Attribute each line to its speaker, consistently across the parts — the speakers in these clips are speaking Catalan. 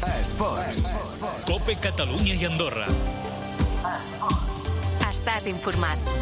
Speaker 1: Esports.
Speaker 2: COPE Catalunya i Andorra.
Speaker 3: Estàs informat.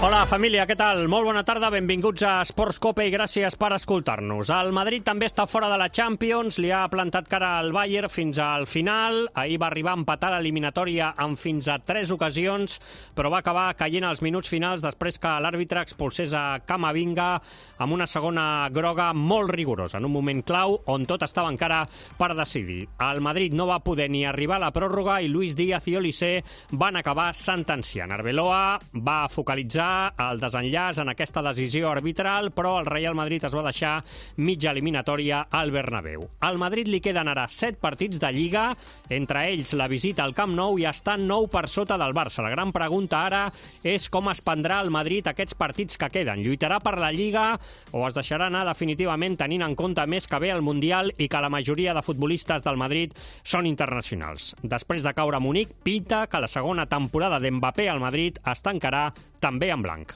Speaker 4: Hola, família, què tal? Molt bona tarda, benvinguts a Esports COPE i gràcies per escoltar-nos. El Madrid també està fora de la Champions, li ha plantat cara al Bayern fins al final. Ahir va arribar a empatar l'eliminatòria en fins a 3 ocasions, però va acabar caient als minuts finals després que l'àrbitre expulsés a Camavinga amb una segona groga molt rigorosa, en un moment clau on tot estava encara per decidir. El Madrid no va poder ni arribar a la pròrroga i Luis Díaz i Olise van acabar sentenciant. Arbeloa va focalitzar el desenllaç en aquesta decisió arbitral, però el Real Madrid es va deixar mitja eliminatòria al Bernabéu. Al Madrid li queden ara 7 partits de Lliga, entre ells la visita al Camp Nou, i està 9 per sota del Barça. La gran pregunta ara és com es prendrà el Madrid aquests partits que queden. Lluitarà per la Lliga o es deixarà anar definitivament, tenint en compte més que ve el Mundial i que la majoria de futbolistes del Madrid són internacionals. Després de caure a Munic, pinta que la segona temporada d'Mbappé al Madrid es tancarà també en blanc.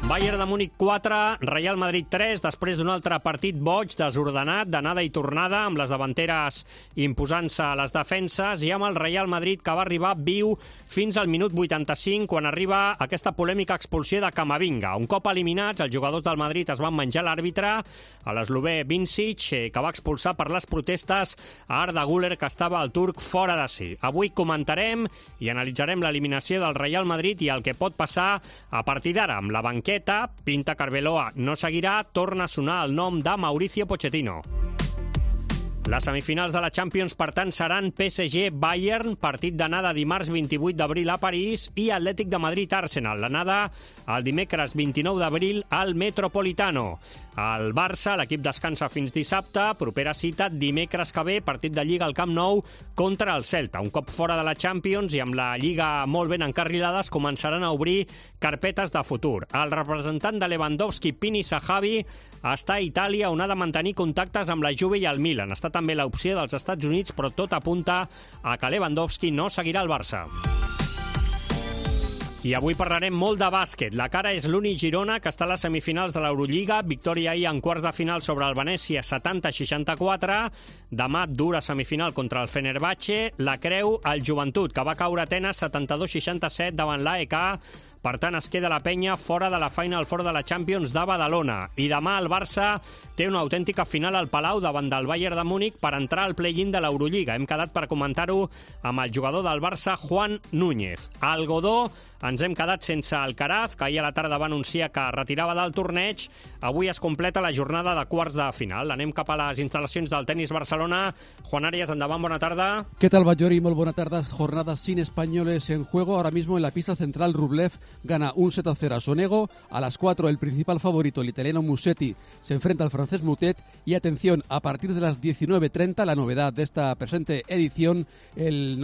Speaker 4: Bayern de Múnich 4, Real Madrid 3, després d'un altre partit boig, desordenat, d'anada i tornada, amb les davanteres imposant-se a les defenses, i amb el Real Madrid que va arribar viu fins al minut 85, quan arriba aquesta polèmica expulsió de Camavinga. Un cop eliminats, els jugadors del Madrid es van menjar l'àrbitre, a l'eslovè Vincic, que va expulsar per les protestes a Arda Güler, que estava el turc fora de si. Avui comentarem i analitzarem l'eliminació del Real Madrid i el que pot passar a partir d'ara amb la banqueta. Pinta que Arbeloa no seguirà, torna a sonar el nom de Mauricio Pochettino. Les semifinals de la Champions, per tant, seran PSG-Bayern, partit d'anada dimarts 28 d'abril a París, i Atlètic de Madrid-Arsenal, l'anada el dimecres 29 d'abril al Metropolitano. El Barça, l'equip descansa fins dissabte, propera cita dimecres que ve, partit de Lliga al Camp Nou contra el Celta. Un cop fora de la Champions i amb la Lliga molt ben encarrilades, començaran a obrir carpetes de futur. El representant de Lewandowski, Pini Zahavi, està a Itàlia, on ha de mantenir contactes amb la Juve i el Milan. Està també l'opció dels Estats Units, però tot apunta a que Lewandowski no seguirà al Barça. I avui parlarem molt de bàsquet. La cara és l'Uni Girona, que està a les semifinals de l'Eurolliga. Victòria ahir en quarts de final sobre el Venècia, 70-64. Demà, dura semifinal contra el Fenerbahçe. La creu el Joventut, que va caure a Atenes 72-67 davant l'AEK. Per tant, es queda la penya fora de la Final Four de la Champions de Badalona. I demà el Barça té una autèntica final al Palau davant del Bayern de Múnich per entrar al play-in de l'Eurolliga. Hem quedat per comentar-ho amb el jugador del Barça, Juan Núñez. Al Godó ens hem quedat sense Alcaraz, que ahir a la tarda va anunciar que retirava del torneig. Avui es completa la jornada de quarts de final. Anem cap a les instal·lacions del Tenis Barcelona. Juan Arias, endavant, bona tarda.
Speaker 5: ¿Qué tal, Bayori? Muy buena tarde. Jornada sin españoles en juego. Ahora mismo en la pista central, Rublev gana un 7-0 a Sonego. A las 4, el principal favorito, el italiano Musetti, se enfrenta al francés Moutet. Y atención, a partir de las 19:30, la novedad de esta presente edición, el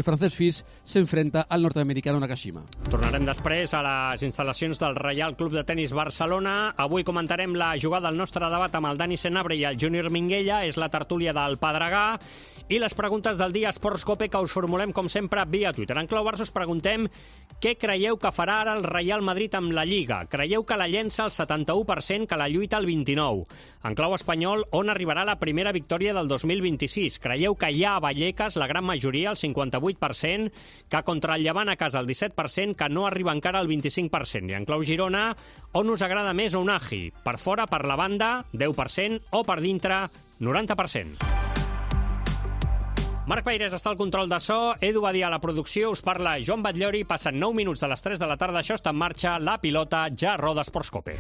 Speaker 5: francés Fils se enfrenta al norteamericano Nakashima.
Speaker 4: Tornarem després a les instal·lacions del Reial Club de Tenis Barcelona. Avui comentarem la jugada del nostre debat amb el Dani Senabre i el Júnior Minguella. És la tertúlia del Pedregà. I les preguntes del dia Esports COPE, que us formulem, com sempre, via Twitter. En Clau Barça us preguntem què creieu que farà ara el Real Madrid amb la Lliga. Creieu que la llença al 71%, que la lluita al 29%? En clau espanyol, on arribarà la primera victòria del 2026? Creieu que hi ha a Vallecas, la gran majoria, el 58%, que contra el Llevant a casa el 17%, que no arriba encara al 25%? I en clau Girona, on us agrada més Unagi? Per fora, per la banda, 10%, o per dintre, 90%. Marc Peirés està al control de so, Edu Badia a la producció, us parla Joan Batllori. Passen 9 minuts de les 3 de la tarda, això està en marxa, la pilota ja roda Esports COPE.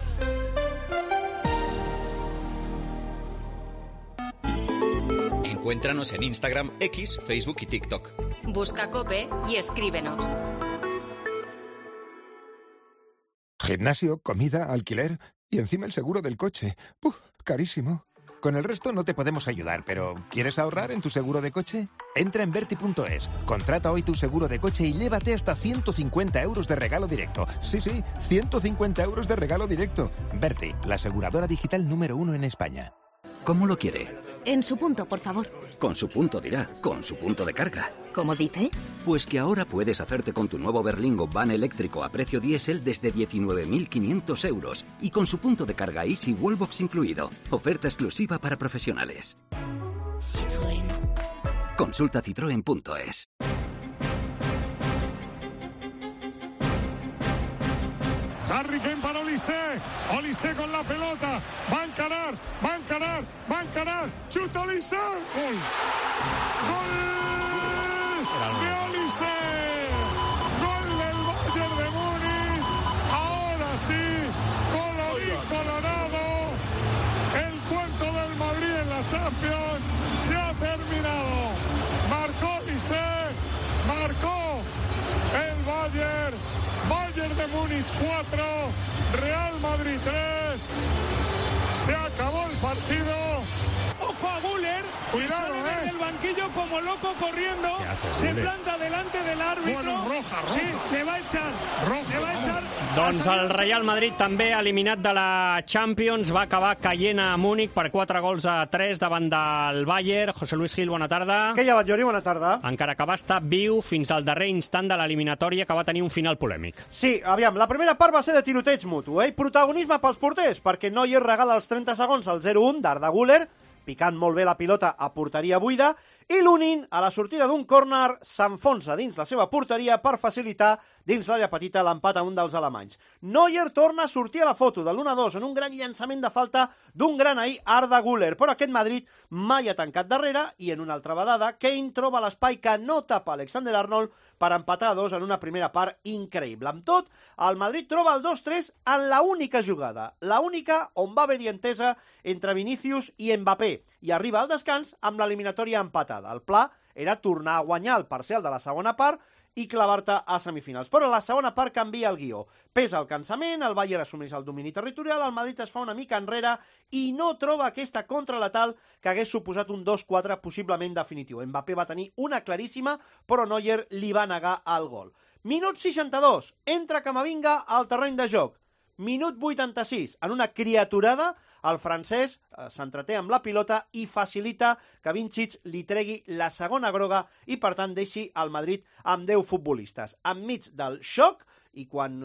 Speaker 6: Encuéntranos en Instagram, X, Facebook y TikTok.
Speaker 3: Busca COPE y escríbenos.
Speaker 1: Gimnasio, comida, alquiler y encima el seguro del coche. Carísimo. Con el resto no te podemos ayudar, pero ¿quieres ahorrar en tu seguro de coche? Entra en Verti.es, contrata hoy tu seguro de coche y llévate hasta 150 euros de regalo directo. Sí, 150 euros de regalo directo. Verti, la aseguradora digital número 1 en España.
Speaker 7: ¿Cómo lo quiere? En su punto, por favor.
Speaker 8: Con su punto dirá, con su punto de carga.
Speaker 7: ¿Cómo dice?
Speaker 8: Pues que ahora puedes hacerte con tu nuevo Berlingo van eléctrico a precio diésel desde 19.500 euros y con su punto de carga Easy Wallbox incluido. Oferta exclusiva para profesionales.
Speaker 7: Citroën.
Speaker 8: Consulta citroen.es.
Speaker 9: Harry Kane para Olise. Olise con la pelota. Va a encarar. Chuta Olise. Gol. Gol de Olise. Gol del Bayern de Múnich. Ahora sí, colorín colorado. El cuento del Madrid en la Champions se ha terminado. Marcó Olise. Marcó el Bayern. Bayern de Múnich 4, Real Madrid 3. Se acabó el partido.
Speaker 10: Ojo a Güler,
Speaker 9: cuidado,
Speaker 10: sale desde el banquillo como loco corriendo, se planta delante del árbitro.
Speaker 9: Bueno, roja.
Speaker 10: Sí, le va a echar.
Speaker 4: Doncs el Real Madrid també eliminat de la Champions, va acabar caient a Múnich per 4-3 davant del Bayern. José Luis Gil, bona tarda.
Speaker 11: Què hi ha, Batllori? Bona tarda.
Speaker 4: Encara que va estar viu fins al darrer instant de l'eliminatòria, que va tenir un final polèmic.
Speaker 11: Sí, aviam, la primera part va ser de tiroteig mutu, i protagonisme pels porters, perquè Neuer regala els 30 segons al 0-1 d'Arda Güler, picant molt bé la pilota a porteria buida, i Lunin, a la sortida d'un córner, s'enfonsa dins la seva porteria per facilitar dins l'àrea petita l'empat a un dels alemanys. Neuer torna a sortir a la foto de l'1-2 en un gran llançament de falta d'un gran ahir Arda Güler, però aquest Madrid mai ha tancat darrere i en una altra vedada Kane troba l'espai que no tapa Alexander Arnold per empatar a 2 en una primera part increïble. Amb tot, el Madrid troba el 2-3 en la única jugada, la única on va haver-hi entesa entre Vinícius i Mbappé, i arriba al descans amb l'eliminatòria empatada. El pla era tornar a guanyar el parcial de la segona part i clavar-te a semifinals. Però la segona part canvia el guió. Pesa el cansament, el Bayern assumeix el domini territorial, el Madrid es fa una mica enrere i no troba aquesta contraletal que hagués suposat un 2-4 possiblement definitiu. Mbappé va tenir una claríssima, però Neuer li va negar el gol. Minut 62, entra Camavinga al terreny de joc. Minut 86, en una criaturada, el francès s'entreté amb la pilota i facilita que Vincic li tregui la segona groga i, per tant, deixi el Madrid amb 10 futbolistes. Enmig del xoc, i quan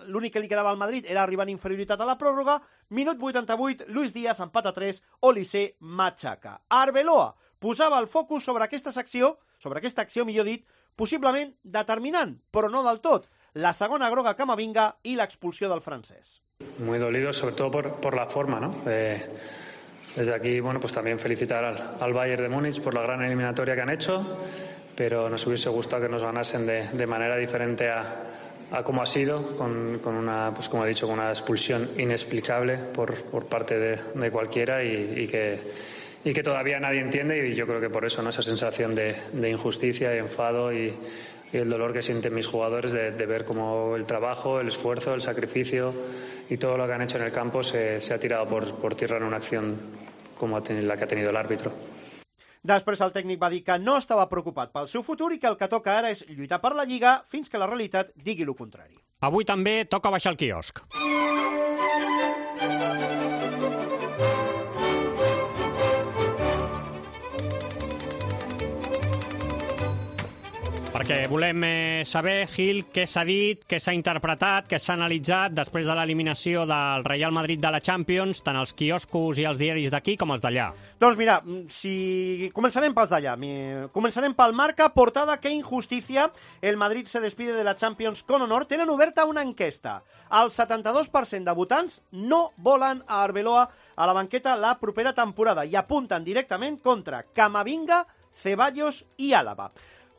Speaker 11: l'únic que li quedava al Madrid era arribar en inferioritat a la pròrroga, minut 88, Luis Díaz empata 3, Olise matxaca. Arbeloa posava el focus sobre aquesta acció, millor dit, possiblement determinant, però no del tot, la segona groga a Camavinga i l'expulsió del francès.
Speaker 12: Muy dolido, sobre todo por la forma, ¿no? Desde aquí, bueno, pues también felicitar al Bayern de Múnich por la gran eliminatoria que han hecho, pero nos hubiese gustado que nos ganasen de manera diferente a cómo ha sido, con una, pues como he dicho, con una expulsión inexplicable por parte de cualquiera y que todavía nadie entiende, y yo creo que por eso, ¿no? Esa sensación de injusticia y enfado y el dolor que sienten mis jugadores de ver cómo el trabajo, el esfuerzo, el sacrificio y todo lo que han hecho en el campo se ha tirado por tierra en una acción como la que ha tenido el árbitro.
Speaker 11: Després el tècnic va dir que no estava preocupat pel seu futur i que el que toca ara és lluitar per la Lliga fins que la realitat digui el contrari.
Speaker 4: Avui també toca baixar el quiosc. Perquè volem saber, Gil, què s'ha dit, què s'ha interpretat, què s'ha analitzat després de l'eliminació del Real Madrid de la Champions, tant els quioscos i els diaris d'aquí com els d'allà.
Speaker 11: Doncs mira, començarem pels d'allà. Començarem pel Marca, portada que injusticia, el Madrid se despide de la Champions con honor. Tenen oberta una enquesta. El 72% de votants no volen a Arbeloa a la banqueta la propera temporada i apunten directament contra Camavinga, Ceballos i Álava.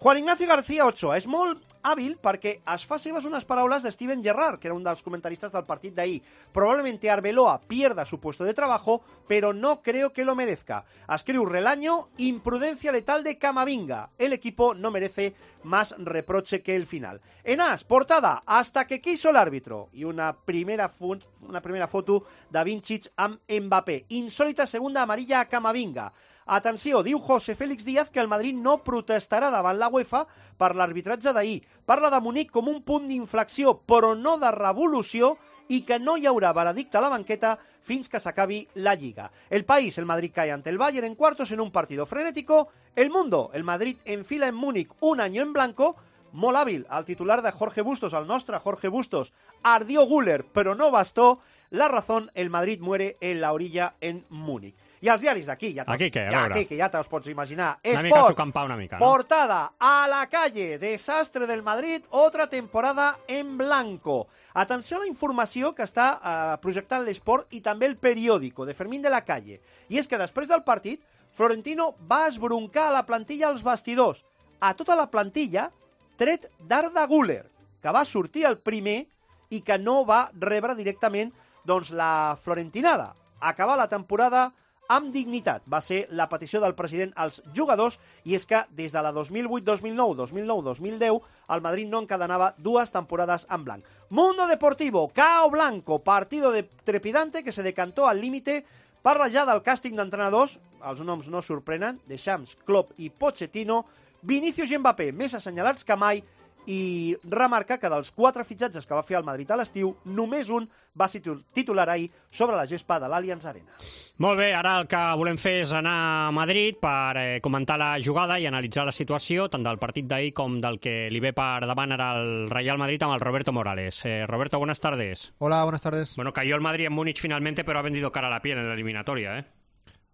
Speaker 11: Juan Ignacio García Ochoa és molt hàbil perquè es fa seves unes paraules de Steven Gerrard, que era un dels comentaristas del partit d'ahir. Probablemente Arbeloa pierda su puesto de trabajo, pero no creo que lo merezca. Escriu Relaño, imprudencia letal de Camavinga. El equipo no merece más reproche que el final. En As, portada, hasta que quiso el árbitro. I una primera foto de Vincic amb Mbappé. Insólita segunda amarilla a Camavinga. Atenció, diu José Félix Díaz que el Madrid no protestarà davant la UEFA per l'arbitratge d'ahir. Parla de Munic com un punt d'inflexió, però no de revolució, y que no hi haurà veredicte a la banqueta fins que s'acabi la Lliga. El País, el Madrid cae ante el Bayern en cuartos en un partido frenético. El Mundo, el Madrid enfila en Múnich un año en blanco. Molt hàbil, el titular de Jorge Bustos, el nostre Jorge Bustos, ardió Güler, però no bastó. La Razón, el Madrid muere en la orilla en Múnich. I els diaris d'aquí, ja te'ls pots imaginar.
Speaker 4: Una mica sucampar una mica, no?
Speaker 11: Portada, a la calle, desastre del Madrid, otra temporada en blanco. Atenció a la informació que està projectant l'Esport i també el periòdico de Fermín de la Calle. I és que després del partit, Florentino va esbroncar a la plantilla als vestidors. A tota la plantilla, tret d'Arda Güler, que va sortir el primer i que no va rebre directament la florentinada. Acabar la temporada amb dignitat. Va ser la petició del president als jugadors, i és que des de la 2008-2009, 2009-2010, el Madrid no encadenava 2 temporades en blanc. Mundo Deportivo, Cao Blanco, partido trepidante que se decantó al límite. Parla ja del càsting d'entrenadors, els noms no sorprenen, Deschamps, Klopp i Pochettino, Vinícius i Mbappé més assenyalats que mai, i remarca que dels 4 fitxatges que va fer el Madrid a l'estiu, només un va ser titular ahir sobre la gespa de l'Allianz Arena.
Speaker 4: Molt bé, ara el que volem fer és anar a Madrid per comentar la jugada i analitzar la situació, tant del partit d'ahir com del que li ve per davant ara al Real Madrid amb el Roberto Morales. Roberto, buenas tardes.
Speaker 13: Hola, buenas tardes.
Speaker 4: Bueno, cayó el Madrid en Múnich finalmente, pero ha vendido cara a la piel en la eliminatoria, ¿eh?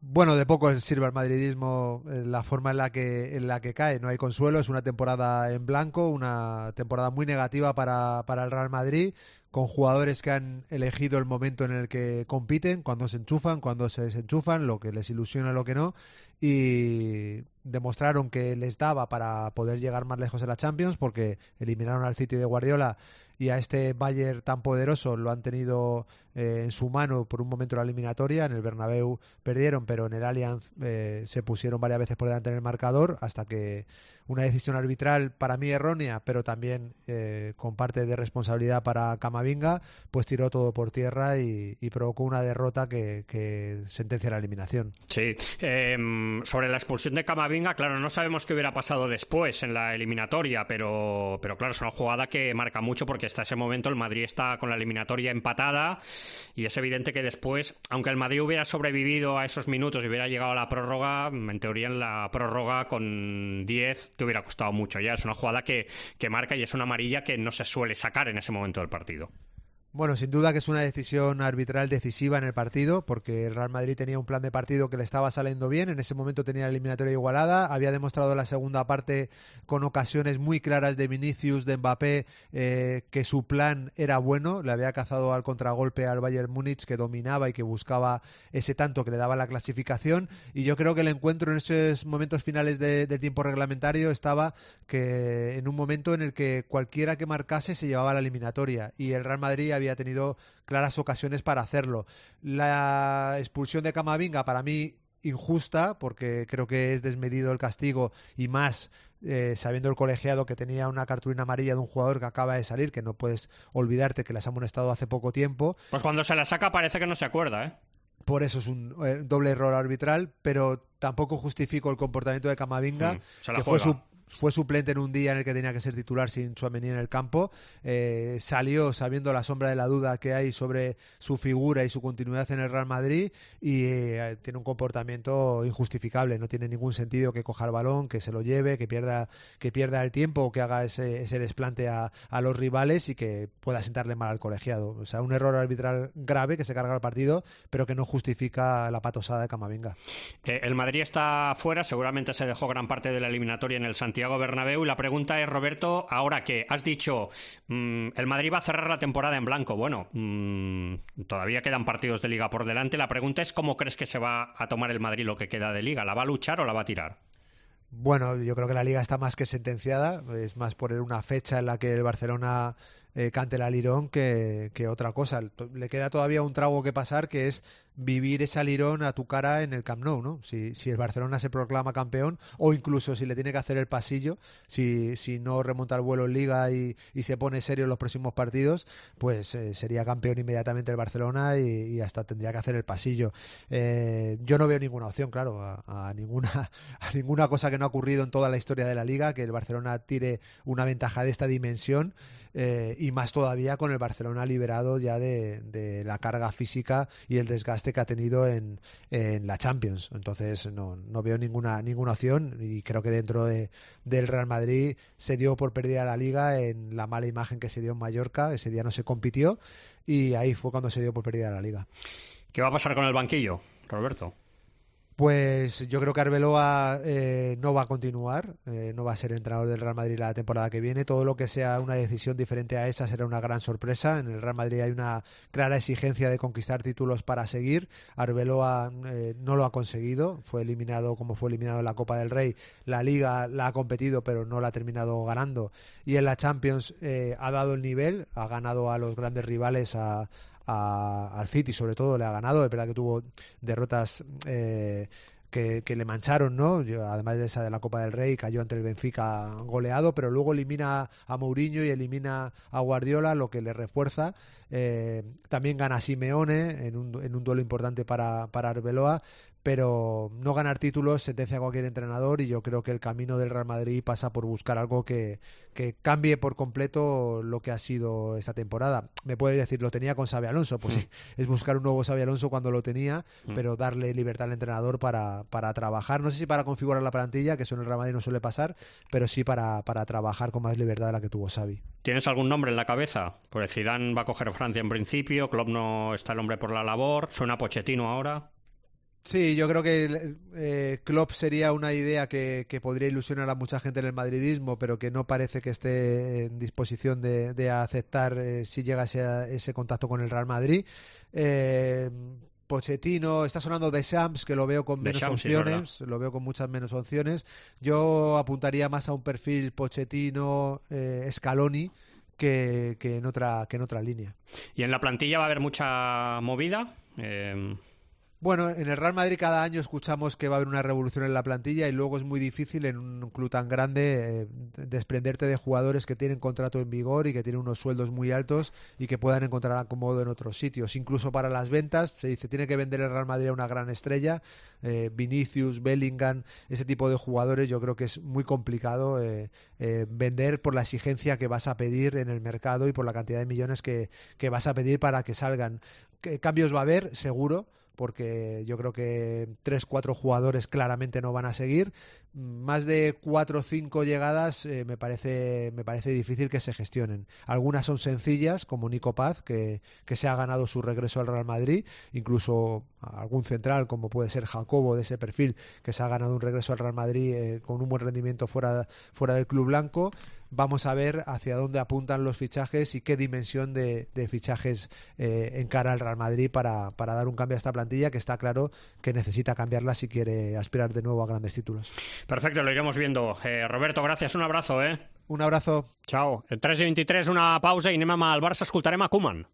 Speaker 13: Bueno, de poco sirve al madridismo la forma en la que cae. No hay consuelo, es una temporada en blanco, una temporada muy negativa para el Real Madrid, con jugadores que han elegido el momento en el que compiten, cuando se enchufan, cuando se desenchufan, lo que les ilusiona, lo que no, y demostraron que les daba para poder llegar más lejos en la Champions, porque eliminaron al City de Guardiola y a este Bayern tan poderoso lo han tenido en su mano por un momento en la eliminatoria. En el Bernabéu perdieron, pero en el Allianz se pusieron varias veces por delante en el marcador, hasta que una decisión arbitral para mí errónea, pero también con parte de responsabilidad para Camavinga, pues tiró todo por tierra y provocó una derrota que sentencia la eliminación.
Speaker 4: Sí, sobre la expulsión de Camavinga, claro, no sabemos qué hubiera pasado después en la eliminatoria, pero claro, es una jugada que marca mucho, porque hasta ese momento el Madrid está con la eliminatoria empatada, y es evidente que después, aunque el Madrid hubiera sobrevivido a esos minutos y hubiera llegado a la prórroga, en teoría en la prórroga con 10 te hubiera costado mucho. Ya es una jugada que marca, y es una amarilla que no se suele sacar en ese momento del partido.
Speaker 13: Bueno, sin duda que es una decisión arbitral decisiva en el partido, porque el Real Madrid tenía un plan de partido que le estaba saliendo bien. En ese momento tenía la eliminatoria igualada, había demostrado en la segunda parte con ocasiones muy claras de Vinícius, de Mbappé, que su plan era bueno. Le había cazado al contragolpe al Bayern Múnich, que dominaba y que buscaba ese tanto que le daba la clasificación, y yo creo que el encuentro en esos momentos finales del tiempo reglamentario estaba que en un momento en el que cualquiera que marcase se llevaba la eliminatoria, y el Real Madrid había tenido claras ocasiones para hacerlo. La expulsión de Camavinga, para mí, injusta, porque creo que es desmedido el castigo, y más sabiendo el colegiado que tenía una cartulina amarilla de un jugador que acaba de salir, que no puedes olvidarte que las ha amonestado hace poco tiempo.
Speaker 4: Pues cuando se la saca parece que no se acuerda, ¿eh?
Speaker 13: Por eso es un doble error arbitral, pero tampoco justifico el comportamiento de Camavinga, que fue suplente en un día en el que tenía que ser titular sin Tchouaméni en el campo. Salió sabiendo la sombra de la duda que hay sobre su figura y su continuidad en el Real Madrid, y tiene un comportamiento injustificable. No tiene ningún sentido que coja el balón, que se lo lleve, que pierda el tiempo, o que haga ese desplante a los rivales y que pueda sentarle mal al colegiado. O sea, un error arbitral grave que se carga el partido, pero que no justifica la patosada de Camavinga.
Speaker 4: El Madrid está fuera, seguramente se dejó gran parte de la eliminatoria en el Santiago Bernabéu, y la pregunta es, Roberto, ahora que has dicho el Madrid va a cerrar la temporada en blanco, bueno, todavía quedan partidos de Liga por delante, la pregunta es cómo crees que se va a tomar el Madrid lo que queda de Liga, ¿la va a luchar o la va a tirar?
Speaker 13: Bueno, yo creo que la Liga está más que sentenciada, es más por una fecha en la que el Barcelona cante el alirón que otra cosa. Le queda todavía un trago que pasar, que es vivir ese alirón a tu cara en el Camp Nou, ¿no? Si el Barcelona se proclama campeón, o incluso si le tiene que hacer el pasillo, si no remonta el vuelo en Liga y se pone serio en los próximos partidos, pues sería campeón inmediatamente el Barcelona y hasta tendría que hacer el pasillo. Yo no veo ninguna opción, claro, a ninguna cosa que no ha ocurrido en toda la historia de la Liga, que el Barcelona tire una ventaja de esta dimensión, y más todavía con el Barcelona liberado ya de la carga física y el desgaste que ha tenido en la Champions. Entonces no veo ninguna opción, y creo que dentro del Real Madrid se dio por perdida la Liga en la mala imagen que se dio en Mallorca. Ese día no se compitió y ahí fue cuando se dio por perdida la Liga.
Speaker 4: ¿Qué va a pasar con el banquillo, Roberto?
Speaker 13: Pues yo creo que Arbeloa no va a continuar, no va a ser entrenador del Real Madrid la temporada que viene. Todo lo que sea una decisión diferente a esa será una gran sorpresa. En el Real Madrid hay una clara exigencia de conquistar títulos para seguir. Arbeloa no lo ha conseguido, fue eliminado como fue eliminado en la Copa del Rey. La Liga la ha competido pero no la ha terminado ganando, y en la Champions ha dado el nivel, ha ganado a los grandes rivales, al City sobre todo le ha ganado. Es verdad que tuvo derrotas que le mancharon, ¿no? Además de esa de la Copa del Rey, cayó ante el Benfica goleado, pero luego elimina a Mourinho y elimina a Guardiola, lo que le refuerza. También gana a Simeone en un duelo importante para Arbeloa, pero no ganar títulos sentencia a cualquier entrenador, y yo creo que el camino del Real Madrid pasa por buscar algo que cambie por completo lo que ha sido esta temporada. Me puede decir, lo tenía con Xabi Alonso, pues sí, es buscar un nuevo Xabi Alonso cuando lo tenía, pero darle libertad al entrenador para trabajar, no sé si para configurar la plantilla, que eso en el Real Madrid no suele pasar, pero sí para trabajar con más libertad de la que tuvo Xavi.
Speaker 4: ¿Tienes algún nombre en la cabeza? Pues Zidane va a coger Francia en principio, Klopp no está el hombre por la labor, suena Pochettino ahora.
Speaker 13: Sí, yo creo que Klopp sería una idea que podría ilusionar a mucha gente en el madridismo, pero que no parece que esté en disposición de aceptar si llega ese contacto con el Real Madrid. Pochettino, está sonando Deschamps, que lo veo con menos opciones, lo veo con muchas menos opciones. Yo apuntaría más a un perfil Pochettino, Scaloni, que en otra línea.
Speaker 4: ¿Y en la plantilla va a haber mucha movida?
Speaker 13: Bueno, en el Real Madrid cada año escuchamos que va a haber una revolución en la plantilla, y luego es muy difícil en un club tan grande desprenderte de jugadores que tienen contrato en vigor y que tienen unos sueldos muy altos y que puedan encontrar acomodo en otros sitios. Incluso para las ventas se dice tiene que vender el Real Madrid a una gran estrella, Vinicius, Bellingham, ese tipo de jugadores. Yo creo que es muy complicado vender por la exigencia que vas a pedir en el mercado y por la cantidad de millones que vas a pedir para que salgan. Cambios va a haber, seguro, porque yo creo que 3-4 jugadores claramente no van a seguir. Más de 4 o 5 llegadas me parece difícil que se gestionen. Algunas son sencillas, como Nico Paz, que se ha ganado su regreso al Real Madrid, incluso algún central como puede ser Jacobo, de ese perfil, que se ha ganado un regreso al Real Madrid con un buen rendimiento fuera del club blanco. Vamos a ver hacia dónde apuntan los fichajes y qué dimensión de fichajes encara el Real Madrid para dar un cambio a esta plantilla, que está claro que necesita cambiarla si quiere aspirar de nuevo a grandes títulos.
Speaker 4: Perfecto, lo iremos viendo. Roberto, gracias, un abrazo.
Speaker 13: Un abrazo.
Speaker 4: Chao. 3:23, una pausa i anem amb el Barça, escoltarem a Koeman.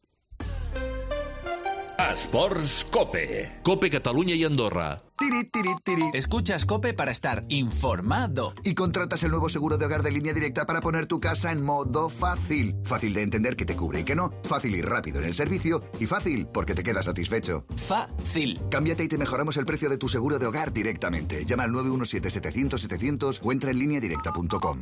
Speaker 2: Esports Cope. Cope Catalunya y Andorra.
Speaker 14: Tiri, tiri, tiri. Escuchas COPE para estar informado.
Speaker 15: Y contratas el nuevo seguro de hogar de Línea Directa para poner tu casa en modo fácil. Fácil de entender que te cubre y que no. Fácil y rápido en el servicio. Y fácil porque te quedas satisfecho.
Speaker 14: Fácil.
Speaker 15: Cámbiate y te mejoramos el precio de tu seguro de hogar directamente. Llama al 917-700-700 o entra en lineadirecta.com.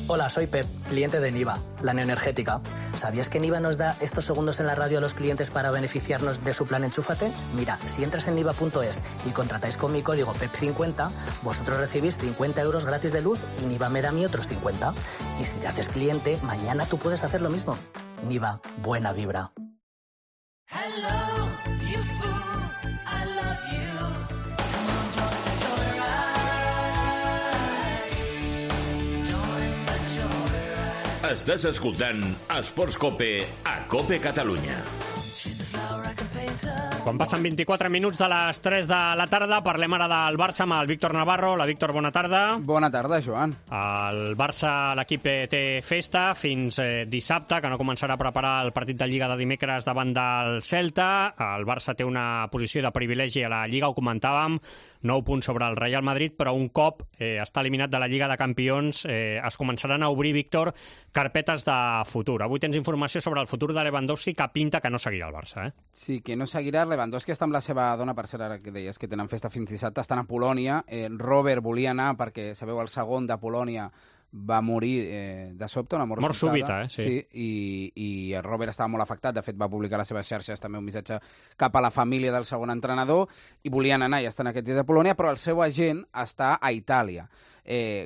Speaker 16: Hola, soy Pep, cliente de Niva, la neoenergética. ¿Sabías que Niva nos da estos segundos en la radio a los clientes para beneficiarnos de su plan Enchúfate? Mira, si entras en niva.es y contratáis con mi código PEP50, vosotros recibís 50 euros gratis de luz y Niva me da a mí otros 50. Y si te haces cliente, mañana tú puedes hacer lo mismo. Niva, buena vibra.
Speaker 17: Hello, you fool, I love you. Come on, join the joyride.
Speaker 2: Estàs escoltant Esports Cope a Cope Catalunya.
Speaker 4: Com Quan passen 24 minuts de les 3 de la tarda, parlem ara del Barça amb el Víctor Navarro. La Víctor, bona tarda.
Speaker 18: Bona tarda, Joan.
Speaker 4: El Barça, l'equip té festa fins dissabte, que no començarà a preparar el partit de Lliga de dimecres davant del Celta. El Barça té una posició de privilegi a la Lliga, ho comentàvem, 9 punts sobre el Real Madrid, però un cop està eliminat de la Lliga de Campions es començaran a obrir, Víctor, carpetes de futur. Avui tens informació sobre el futur de Lewandowski, que pinta que no seguirà el Barça, eh?
Speaker 18: Sí, que no seguirà. Lewandowski està amb la seva dona, per ser ara que deies que tenen festa fins dissabte, estan a Polònia. Robert volia anar perquè, sabeu, el segon de Polònia va morir de sobte, una mort
Speaker 4: súbita,
Speaker 18: sí. I Robert estava molt afectat, de fet va publicar a les seves xarxes també un missatge cap a la família del segon entrenador, i volien anar i estan aquests dies a Polònia, però el seu agent està a Itàlia.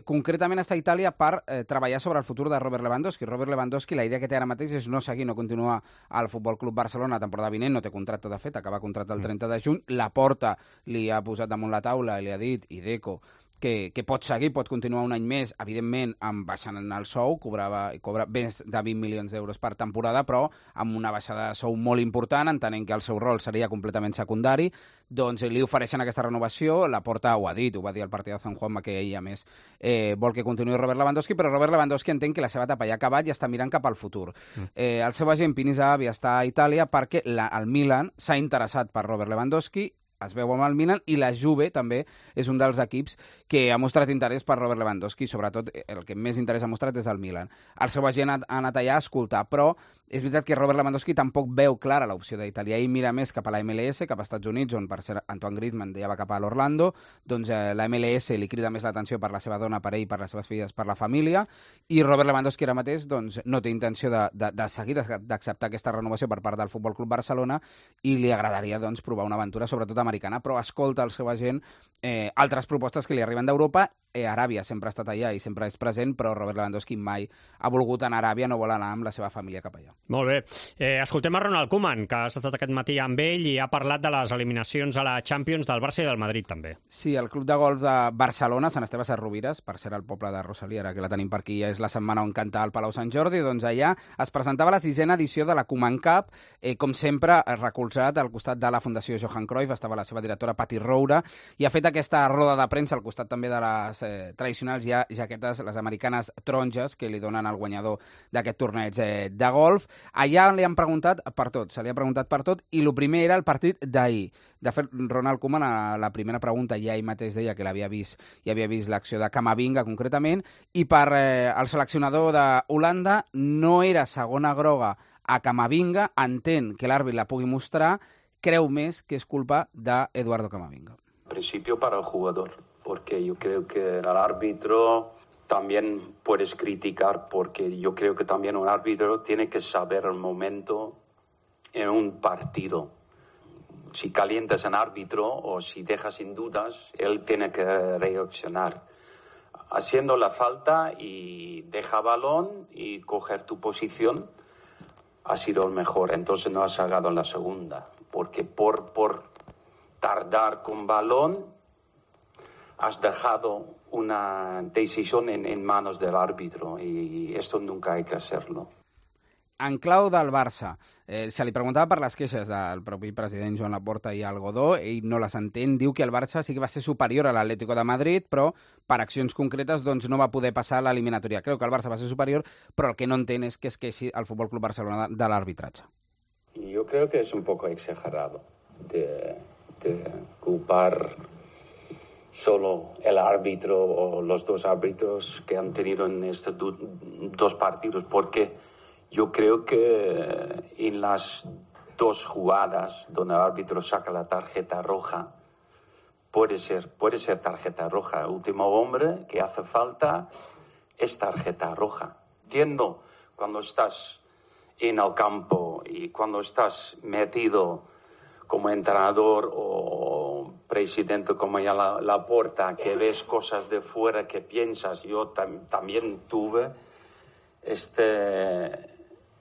Speaker 18: Concretament està a Itàlia per treballar sobre el futur de Robert Lewandowski. Robert Lewandowski, la idea que té ara mateix és no seguir, no continuar al Futbol Club Barcelona la temporada vinent, no té contracte de fet, acaba contracte el 30 de juny, Laporta li ha posat damunt la taula i li ha dit, i Deco, que pot seguir, pot continuar un any més, evidentment baixant el sou, cobra més de 20 milions d'euros per temporada, però amb una baixada de sou molt important, entenent que el seu rol seria completament secundari, doncs li ofereixen aquesta renovació. Laporta ho ha dit, ho va dir al partit de San Juanma, que ell, a més, vol que continuï Robert Lewandowski, però Robert Lewandowski entén que la seva etapa ja ha acabat i està mirant cap al futur. El seu agent, Pini Zahavi, està a Itàlia perquè el Milan s'ha interessat per Robert Lewandowski, es veu amb el Milan, i la Juve també és un dels equips que ha mostrat interès per Robert Lewandowski, sobretot el que més interès ha mostrat és el Milan. El seu agent ha anat allà a escoltar, però és veritat que Robert Lewandowski tampoc veu clara l'opció d'Itàlia. Ell mira més cap a la MLS, cap als Estats Units, on per ser Antoine Griezmann ja va cap a l'Orlando, doncs la MLS li crida més l'atenció per la seva dona, per ell, per les seves filles, per la família, i Robert Lewandowski ara mateix doncs, no té intenció de seguir, d'acceptar aquesta renovació per part del Futbol Club Barcelona, i li agradaria doncs, provar una aventura, sobretot americana, però escolta el seu agent altres propostes que li arriben d'Europa. Aràbia sempre ha estat allà i sempre és present, però Robert Lewandowski mai ha volgut anar a Aràbia, no vol anar amb la seva família cap allà.
Speaker 4: Molt bé. Escoltem a Ronald Koeman, que ha estat aquest matí amb ell i ha parlat de les eliminacions a la Champions del Barça i del Madrid, també.
Speaker 18: Sí, el club de golf de Barcelona, Sant Esteve Sesrovires, per ser el poble de Rosalía, ara que la tenim per aquí, ja és la setmana on canta al Palau Sant Jordi, doncs allà es presentava la 6ª edició de la Koeman Cup, com sempre recolzat al costat de la Fundació Johan Cruyff, estava la seva directora Patti Roura, i ha fet aquesta roda de premsa al costat també de les tradicionals jaquetes, les americanes taronges, que li donen al guanyador d'aquest torneig de golf. Allà li han preguntat per tot, se li ha preguntat per tot, i el primer era el partit d'ahir. De fet, Ronald Koeman, a la primera pregunta, ja ell mateix deia que l'havia vist, i havia vist l'acció de Camavinga, concretament, i per el seleccionador d'Holanda no era segona groga a Camavinga, entén que l'àrbit la pugui mostrar, creu més que és culpa d'Eduardo Camavinga.
Speaker 19: En principio para el jugador, porque yo creo que el árbitro también puedes criticar, porque yo creo que también un árbitro tiene que saber el momento en un partido. Si calientas en árbitro o si dejas sin dudas, él tiene que reaccionar. Haciendo la falta y deja balón y coger tu posición ha sido el mejor. Entonces no has sacado en la segunda, porque por tardar con balón has dejado una decisión en manos del árbitro, y esto nunca hay que hacerlo.
Speaker 18: En clau del Barça, se li preguntava per les queixes del propi president Joan Laporta i el Godó, ell no les entén, diu que el Barça sí que va ser superior a l'Atlético de Madrid, però per accions concretes doncs, no va poder passar l'eliminatòria. Creu que el Barça va ser superior, però el que no entén és que es queixi el Futbol Club Barcelona de l'arbitratge.
Speaker 19: Yo creo que es un poco exagerado de culpar solo el árbitro o los dos árbitros que han tenido en estos dos partidos, porque yo creo que en las dos jugadas donde el árbitro saca la tarjeta roja, puede ser tarjeta roja. El último hombre que hace falta es tarjeta roja. Entiendo cuando estás en el campo y cuando estás metido como entrenador o presidente como ya Laporta, que ves cosas de fuera que piensas. Yo también tuve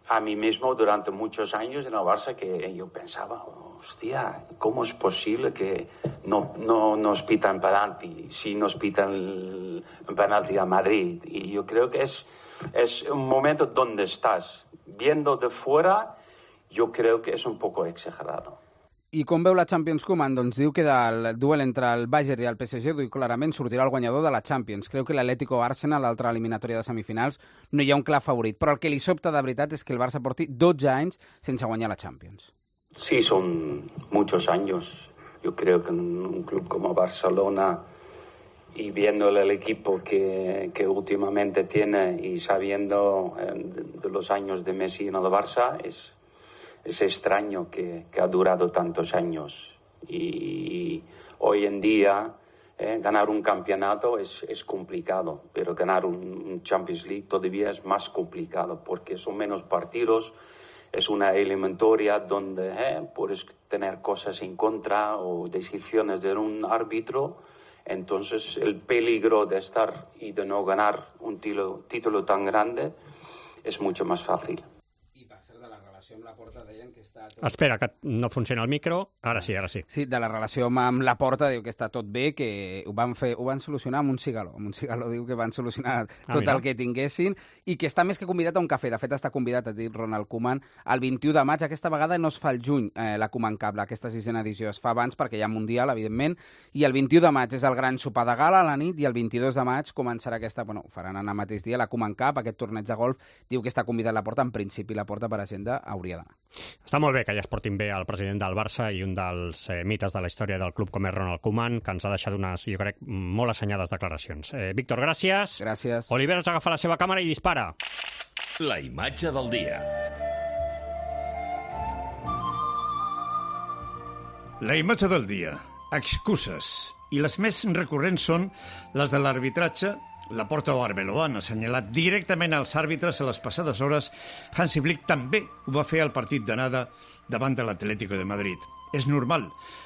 Speaker 19: a mí mismo durante muchos años en el Barça, que yo pensaba, hostia, ¿cómo es posible que no nos pitan penalti si nos pitan el penalti a Madrid? Y yo creo que es un momento donde estás viendo de fuera, yo creo que es un poco exagerado.
Speaker 18: I com veu la Champions Koeman? Doncs diu que del duel entre el Bayern i el PSG clarament sortirà el guanyador de la Champions. Creu que l'Atlético Arsenal, l'altra eliminatòria de semifinals, no hi ha un clar favorit. Però el que li sobta de veritat és que el Barça porti 12 anys sense guanyar la Champions.
Speaker 19: Sí, son muchos años. Yo creo que un club como Barcelona, y viendo el equipo que últimamente tiene y sabiendo de los años de Messi en el Barça, es extraño que ha durado tantos años. Y hoy en día ganar un campeonato es complicado, pero ganar un Champions League todavía es más complicado porque son menos partidos. Es una eliminatoria donde puedes tener cosas en contra o decisiones de un árbitro. Entonces el peligro de estar y de no ganar un título tan grande es mucho más fácil.
Speaker 18: Amb la Porta deien que està tot...
Speaker 4: Espera, que no funciona el micro. Ara sí, ara sí.
Speaker 18: Sí, de la relació amb la Porta diu que està tot bé, que ho van solucionar amb un cigaló. Amb un cigaló diu que van solucionar tot el que tinguessin i que està més que convidat a un cafè. De fet, està convidat, ha dit Ronald Koeman, el 21 de maig. Aquesta vegada no es fa el juny, la Koeman Cup, aquesta 6ª edició. Es fa abans perquè hi ha Mundial, evidentment, i el 21 de maig és el gran sopar de gala a la nit i el 22 de maig començarà aquesta... Bueno, faran el mateix dia la Koeman Cup, aquest torneig de golf. Diu que està convidat la Porta. En principi, la Porta per agenda hauria d'anar.
Speaker 4: Està molt bé que ja es portin bé el president del Barça i un dels mites de la història del club com és Ronald Koeman, que ens ha deixat unes, jo crec, molt assenyades declaracions. Víctor, gràcies.
Speaker 18: Gràcies.
Speaker 4: Oliveros agafa la seva càmera i dispara.
Speaker 2: La imatge del dia.
Speaker 20: La imatge del dia. Excuses. I les més recurrents són les de l'arbitratge. La Porta o Arbeloa han assenyalat directament als àrbitres a les passades hores. Hansi Flick també ho va fer al partit d'anada davant de l'Atlético de Madrid. És normal.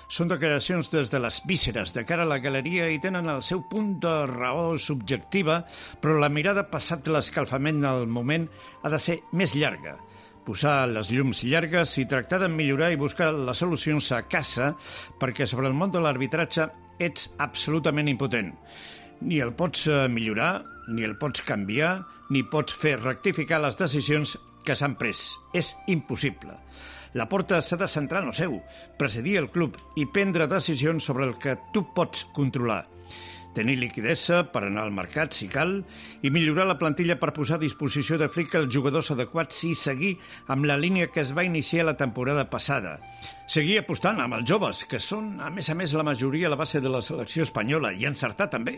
Speaker 20: Són declaracions des de les vísceres de cara a la galeria i tenen el seu punt de raó subjectiva, però la mirada passat l'escalfament del moment ha de ser més llarga. Posar les llums llargues i tractar de millorar i buscar les solucions a casa, perquè sobre el món de l'arbitratge ets absolutament impotent. Ni el pots millorar, ni el pots canviar, ni pots fer rectificar les decisions que s'han pres. És impossible. La Porta s'ha de centrar en el seu, presidir el club i prendre decisions sobre el que tu pots controlar. Tenir liquidesa per anar al mercat, si cal, i millorar la plantilla per posar a disposició de Flick els jugadors adequats i seguir amb la línia que es va iniciar la temporada passada. Seguir apostant amb els joves, que són, a més, la majoria a la base de la selecció espanyola, i encertar també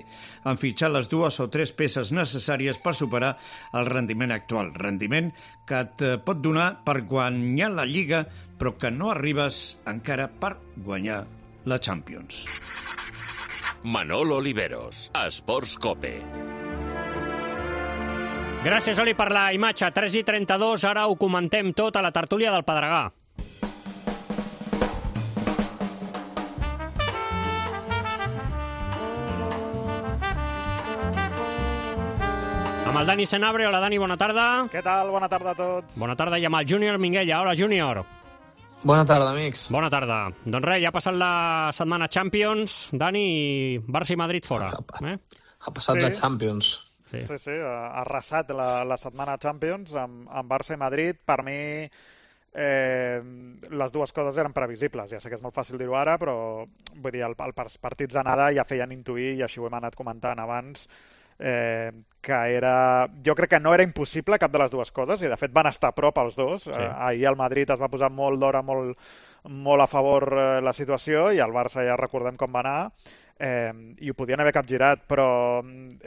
Speaker 20: en fitxar les 2 o 3 peces necessàries per superar el rendiment actual. Rendiment que et pot donar per guanyar la Lliga, però que no arribes encara per guanyar la Champions.
Speaker 2: Manolo Oliveros, Esports Cope.
Speaker 4: Gràcies, Oli, per la imatge. 3:32, ara ho comentem tot a la tertúlia del Pedregà. Amb el Dani Senabre. Hola, Dani, bona tarda.
Speaker 21: Què tal? Bona tarda a tots.
Speaker 4: Bona tarda, i amb el Júnior Minguella. Hola, Júnior.
Speaker 22: Bona tarda, amics.
Speaker 4: Bona tarda. Doncs res, ja ha passat la setmana Champions, Dani, i Barça i Madrid fora.
Speaker 22: Ha passat la Champions.
Speaker 21: Sí, ha arrasat la setmana Champions amb Barça i Madrid. Per mi, les dues coses eren previsibles. Ja sé que és molt fàcil dir-ho ara, però vull dir, els partits d'anada ja feien intuir, i així ho hem anat comentant abans, que era... Jo crec que no era impossible cap de les dues coses, i de fet van estar a prop els dos. Sí. Ahir el Madrid es va posar molt d'hora, molt a favor la situació, i el Barça ja recordem com va anar, i ho podien haver capgirat, però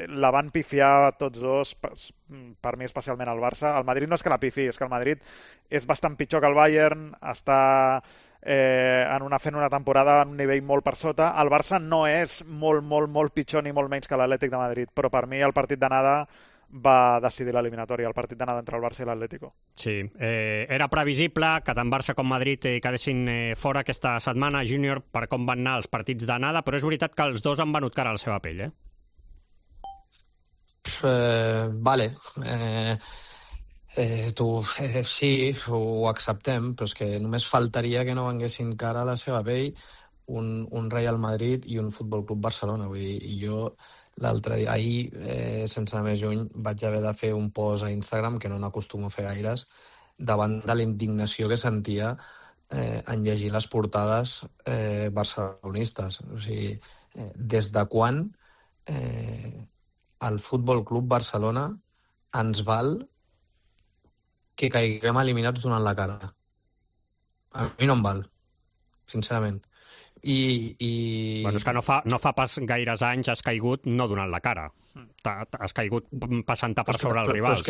Speaker 21: la van pifiar tots dos, per mi especialment el Barça. El Madrid no és que la pifi, és que el Madrid és bastant pitjor que el Bayern, està fent una temporada a un nivell molt per sota. El Barça no és molt pitjor ni molt menys que l'Atlètic de Madrid, però per mi el partit d'anada va decidir l'eliminatòria, el partit d'anada entre el Barça i l'Atlético.
Speaker 4: Sí, era previsible que tant Barça com Madrid quedessin fora aquesta setmana, Júnior, per com van anar els partits d'anada, però és veritat que els dos han venut cara a la seva pell,
Speaker 22: Vale. Sí, ho acceptem, però és que només faltaria que no venguessin cara a la seva pell un Real Madrid i un Futbol Club Barcelona. Vull dir, i jo l'altre dia, ahir, sense anar més lluny, vaig haver de fer un post a Instagram, que no n'acostumo a fer gaires, davant de la indignació que sentia en llegir les portades barcelonistes. O sigui, des de quan el Futbol Club Barcelona ens val que caiguem eliminats donant la cara. A mi no em val, sincerament.
Speaker 4: Bueno, és que no fa pas gaires anys has caigut no donant la cara. Has caigut passant-te per sobre els rivals.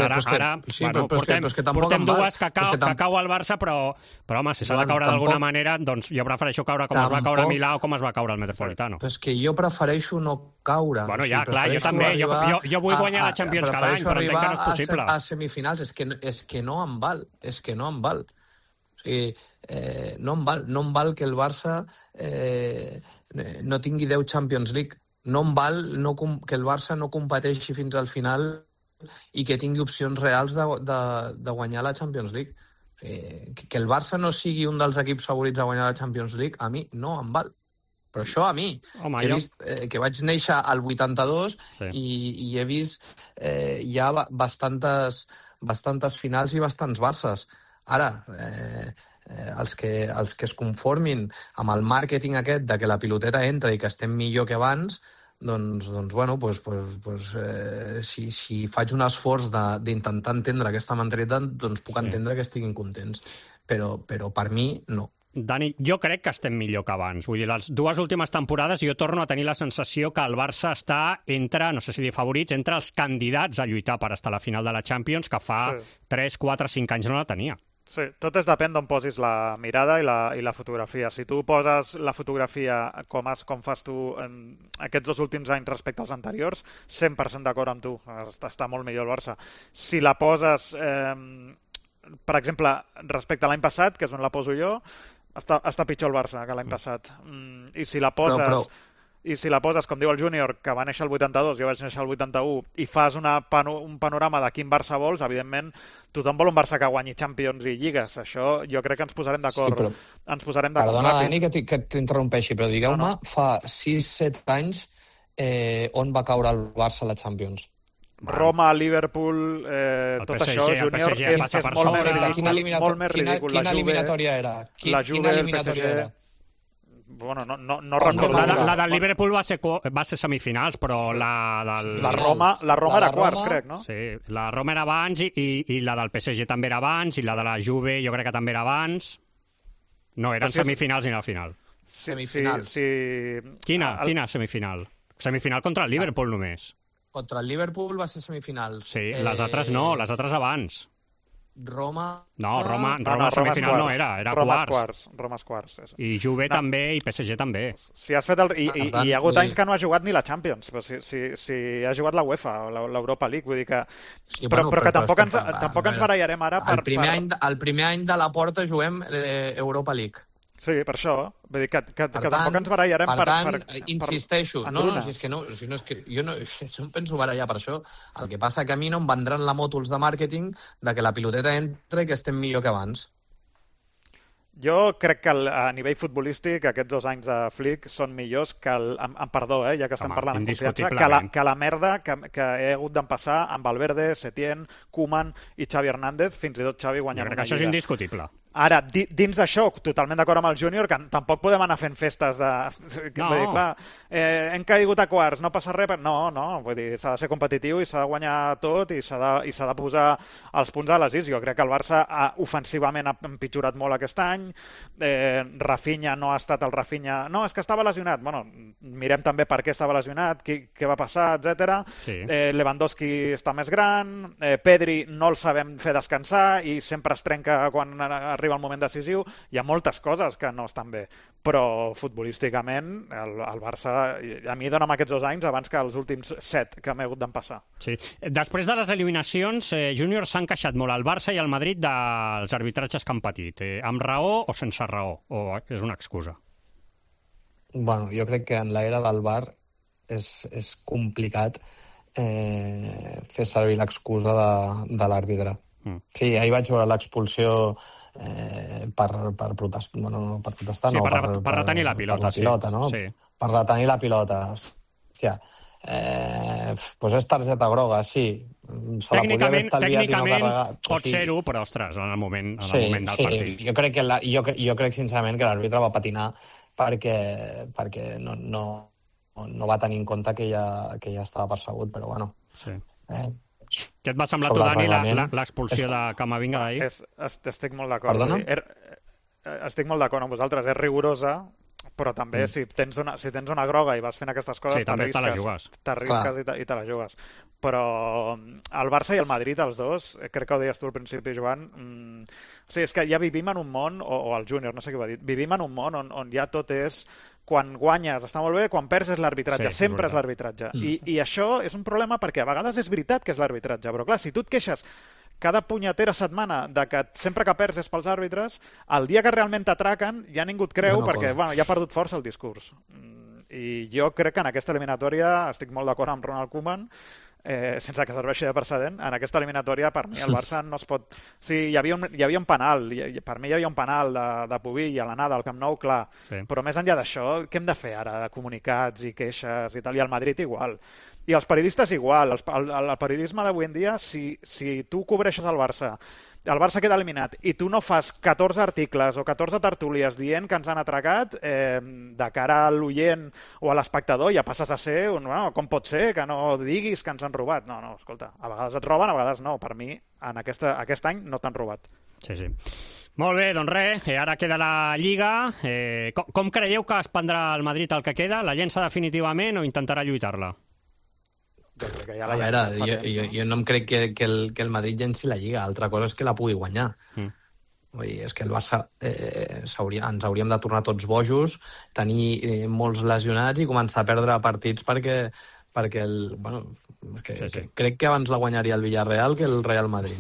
Speaker 4: Portem dues que cau al Barça, però home, si s'ha de caure d'alguna manera, doncs jo prefereixo caure com es va caure a Milà o com es va caure al Metropolitano.
Speaker 22: Però és que jo prefereixo no caure.
Speaker 4: Bueno, ja, clar, jo també. Jo vull guanyar la Champions cada any, però entenc que no és possible.
Speaker 22: A semifinals, és que no em val. És que no em val. O sigui, no em val que el Barça no tingui 10 Champions League. No em val que el Barça no competeixi fins al final i que tingui opcions reals de guanyar la Champions League. Que el Barça no sigui un dels equips favorits a guanyar la Champions League, a mi no em val. Però això a mi, que vaig néixer al 82 i he vist ja bastantes finals i bastants Barces. Ara, els que es conformin amb el màrqueting aquest de que la piloteta entra i que estem millor que abans, doncs bueno, si faig un esforç d'intentar entendre aquesta mentalitat, doncs puc entendre que estiguin contents. Però per mi, no.
Speaker 4: Dani, jo crec que estem millor que abans. Vull dir, les dues últimes temporades jo torno a tenir la sensació que el Barça està entre, no sé si dir favorits, entre els candidats a lluitar per estar a la final de la Champions, que fa 3, 4, 5 anys no la tenia.
Speaker 21: Sí, tot depèn d'on posis la mirada i la fotografia. Si tu poses la fotografia com fas tu en aquests 2 últims anys respecte als anteriors, 100% d'acord amb tu. Està molt millor el Barça. Si la poses, per exemple, respecte a l'any passat, que és on la poso jo, està pitjor el Barça que l'any passat. I si la poses... I si la poses, com diu el Júnior, que va néixer el 82, jo vaig néixer el 81, i fas un panorama de quin Barça vols, evidentment, tothom vol un Barça que guanyi Champions i Lligues. Això jo crec que ens posarem d'acord.
Speaker 22: Perdona, Dani, que t'interrompeixi, però digueu-me, fa 6-7 anys on va caure el Barça a la Champions?
Speaker 21: Roma, Liverpool, tot això, Júnior, és molt més ridícul.
Speaker 22: Quina eliminatòria era? Quina eliminatòria era?
Speaker 21: Bueno, no recordo.
Speaker 4: La del Liverpool va ser semifinals, però la del...
Speaker 21: La Roma era quarts, crec, no?
Speaker 4: Sí, la Roma era abans i la del PSG també era abans i la de la Juve jo crec que també era abans. No, eren semifinals ni la final.
Speaker 22: Semifinals.
Speaker 4: Quina semifinal? Semifinal contra el Liverpool només.
Speaker 22: Contra el Liverpool va ser semifinals.
Speaker 4: Sí, les altres no, les altres abans.
Speaker 22: Roma
Speaker 4: semifinal no era quarts.
Speaker 21: Roma és quarts.
Speaker 4: I Juve també i PSG també.
Speaker 21: Si has fet I hi ha hagut anys que no ha jugat ni la Champions, però si ha jugat la UEFA o l'Europa League, vull dir que... Però que tampoc ens barallarem ara per...
Speaker 22: El primer any de la Porta juguem Europa League.
Speaker 21: Sí, per això. Vull dir que tampoc ens barallarem per...
Speaker 22: Per tant, insisteixo. No, és que jo no em penso barallar per això. El que passa que a mi no em vendran la moto els de màrqueting de que la piloteta entra i que estem millor que abans.
Speaker 21: Jo crec que a nivell futbolístic aquests 2 anys de Flick són millors que perdó, ja que estem parlant en confiança, que la merda que he hagut d'empassar amb Valverde, Setién, Koeman i Xavi Hernández, fins i tot Xavi guanyant una lliga.
Speaker 4: Això és indiscutible.
Speaker 21: Ara, dins d'això, totalment d'acord amb el Júnior, que tampoc podem anar fent festes de... No. Vull dir, clar, hem caigut a quarts, no passa res... No, vull dir, s'ha de ser competitiu i s'ha de guanyar tot i s'ha de posar els punts a les is. Jo crec que el Barça ofensivament ha empitjorat molt aquest any, Rafinha no ha estat el Rafinha... No, és que estava lesionat. Bueno, mirem també per què estava lesionat, què va passar, etc. Sí. Lewandowski està més gran, Pedri no el sabem fer descansar i sempre es trenca quan arriba el moment decisiu. Hi ha moltes coses que no estan bé, però futbolísticament el Barça a mi dona'm aquests 2 anys abans que els últims 7 que m'he hagut d'empassar.
Speaker 4: Sí. Després de les eliminacions, Júnior s'han queixat molt al Barça i al Madrid dels arbitratges que han patit. Amb raó o sense raó? O és una excusa?
Speaker 22: Bueno, jo crec que en l'era del VAR és complicat fer servir l'excusa de l'àrbitre. Sí, ahir vaig veure l'expulsió per protestar,
Speaker 4: per retenir la pilota.
Speaker 22: No? Sí. Per retenir la pilota. Hòstia, Doncs és targeta groga, sí. Se la podia haver estalviat i no carregar.
Speaker 4: Pot ser-ho, però, ostres, en el moment del partit.
Speaker 22: Jo crec sincerament que l'àrbitre va patinar perquè no va tenir en compte que ja estava persegut, però bueno.
Speaker 4: Sí. Què et va semblar tu, Dani, l'expulsió de Camavinga d'ahir?
Speaker 21: Estic molt d'acord.
Speaker 22: Perdona?
Speaker 21: Estic molt d'acord amb vosaltres. És rigorosa, però també si tens una groga i vas fent aquestes coses, t'arrisques i te la jugues. Però el Barça i el Madrid, els dos, crec que ho deies tu al principi, Joan, és que ja vivim en un món, o el Júnior, no sé què va dir, vivim en un món on ja tot és quan guanyes està molt bé, quan perds és l'arbitratge, sempre és l'arbitratge. I això és un problema perquè a vegades és veritat que és l'arbitratge, però clar, si tu et queixes cada punyetera setmana de que sempre que perds és pels àrbitres, el dia que realment t'atraquen ja ningú et creu perquè ja ha perdut força el discurs. I jo crec que en aquesta eliminatòria estic molt d'acord amb Ronald Koeman, sense que serveixi de precedent, en aquesta eliminatòria per mi el Barça no es pot... Sí, hi havia un penal, per mi hi havia un penal de Pubill a l'anada al Camp Nou, clar, però més enllà d'això, què hem de fer ara? De comunicats i queixes i tal, i al Madrid igual. I els periodistes igual, el periodisme d'avui en dia, si tu cobreixes el Barça queda eliminat i tu no fas 14 articles o 14 tertúlies dient que ens han atracat, de cara a l'oient o a l'espectador ja passes a ser com pot ser que no diguis que ens han robat? No, escolta, a vegades et roben, a vegades no. Per mi, en aquest any no t'han robat.
Speaker 4: Sí. Molt bé, doncs res, ara queda la Lliga. Com creieu que es prendrà el Madrid el que queda? La llença definitivament o intentarà lluitar-la?
Speaker 22: A veure, jo no em crec que el Madrid llenci la Lliga, altra cosa és que la pugui guanyar. Vull dir, és que el Barça ens hauríem de tornar tots bojos, tenir molts lesionats i començar a perdre partits perquè crec que abans la guanyaria el Villarreal que el Real Madrid.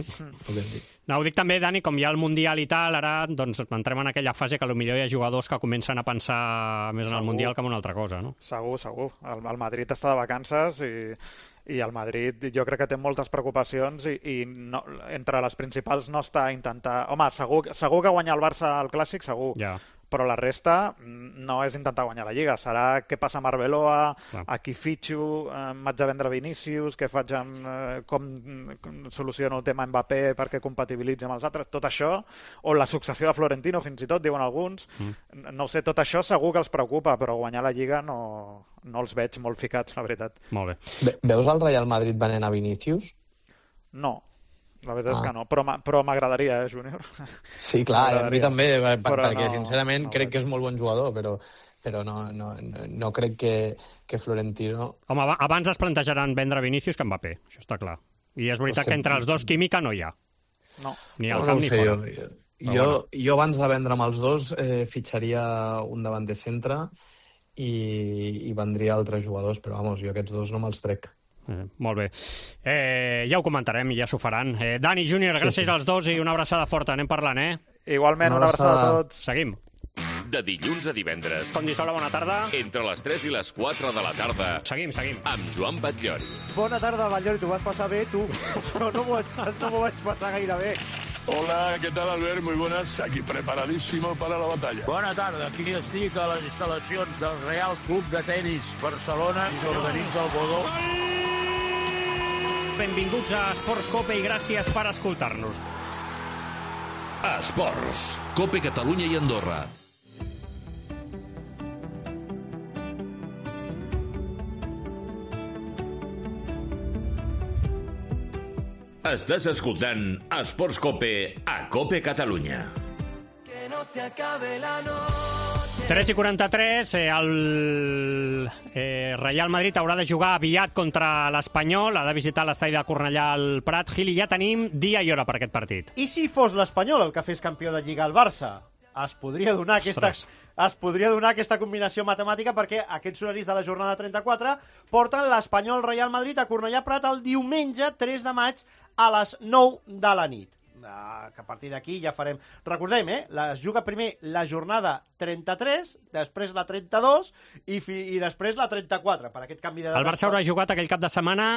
Speaker 4: No, ho dic també, Dani, com hi ha el Mundial i tal, ara doncs entrem en aquella fase que potser hi ha jugadors que comencen a pensar més en el Mundial que en una altra cosa, no?
Speaker 21: Segur. El Madrid està de vacances i el Madrid jo crec que té moltes preocupacions i no, entre les principals no està a intentar... Home, segur que guanyar el Barça al Clàssic, segur. Ja. Però la resta no és intentar guanyar la Lliga, serà què passa amb Arbeloa, a qui fitxo, m'haig de vendre Vinícius, què faig com soluciono el tema Mbappé perquè compatibilitzi amb els altres, tot això, o la successió de Florentino, fins i tot, diuen alguns, no ho sé, tot això segur que els preocupa, però guanyar la Lliga no els veig molt ficats, la veritat.
Speaker 4: Molt bé.
Speaker 22: Veus el Real Madrid venent a Vinícius?
Speaker 21: No. La veritat és que no, però m'agradaria, Júnior?
Speaker 22: Sí, clar, a mi també, perquè sincerament crec que és molt bon jugador, però no crec que Florentino...
Speaker 4: Home, abans es plantejaran vendre Vinícius que Mbappé, això està clar. I és veritat que entre els dos química no hi ha.
Speaker 21: No.
Speaker 4: Ni al camp ni fora.
Speaker 22: Jo abans de vendre amb els dos fitxaria un davanter centre i vendria altres jugadors, però vamos, jo aquests dos no me'ls trec.
Speaker 4: Molt bé. Ja ho comentarem i ja s'ho faran. Dani, Júnior, gràcies als dos i una abraçada forta. Anem parlant,
Speaker 21: Igualment, una abraçada a tots.
Speaker 4: Seguim.
Speaker 2: De dilluns a divendres.
Speaker 4: Condisola, bona tarda.
Speaker 2: Entre les 3 i les 4 de la tarda.
Speaker 4: Seguim.
Speaker 2: Amb Joan Batllori.
Speaker 11: Bona tarda, Batllori. T'ho vas passar bé, tu? No m'ho vaig passar gaire bé.
Speaker 5: Hola, ¿qué tal, Albert? Muy buenas. Aquí preparadísimo para la batalla.
Speaker 6: Bona tarda. Aquí estic a les instal·lacions del Real Club de Tenis Barcelona i s'organitza el Bodó.
Speaker 4: Benvinguts a Esports Cope i gràcies per escoltar-nos.
Speaker 2: Esports. Cope Catalunya i Andorra. Estàs escoltant Esports Cope a Cope Catalunya.
Speaker 17: Que no se acabe la noche.
Speaker 4: 3:43, el Real Madrid haurà de jugar aviat contra l'Espanyol, ha de visitar l'estadi de Cornellà al Prat. Gili, ja tenim dia i hora per aquest partit.
Speaker 11: I si fos l'Espanyol el que fes campió de Lliga al Barça? Es podria donar aquesta combinació matemàtica perquè aquests horaris de la jornada 34 porten l'Espanyol Real Madrid a Cornellà Prat el diumenge 3 de maig a les 9 de la nit. Que a partir d'aquí ja farem... Recordem, es juga primer la jornada 33, després la 32 i després la 34, per aquest canvi de data.
Speaker 4: El Barça haurà jugat aquell cap de setmana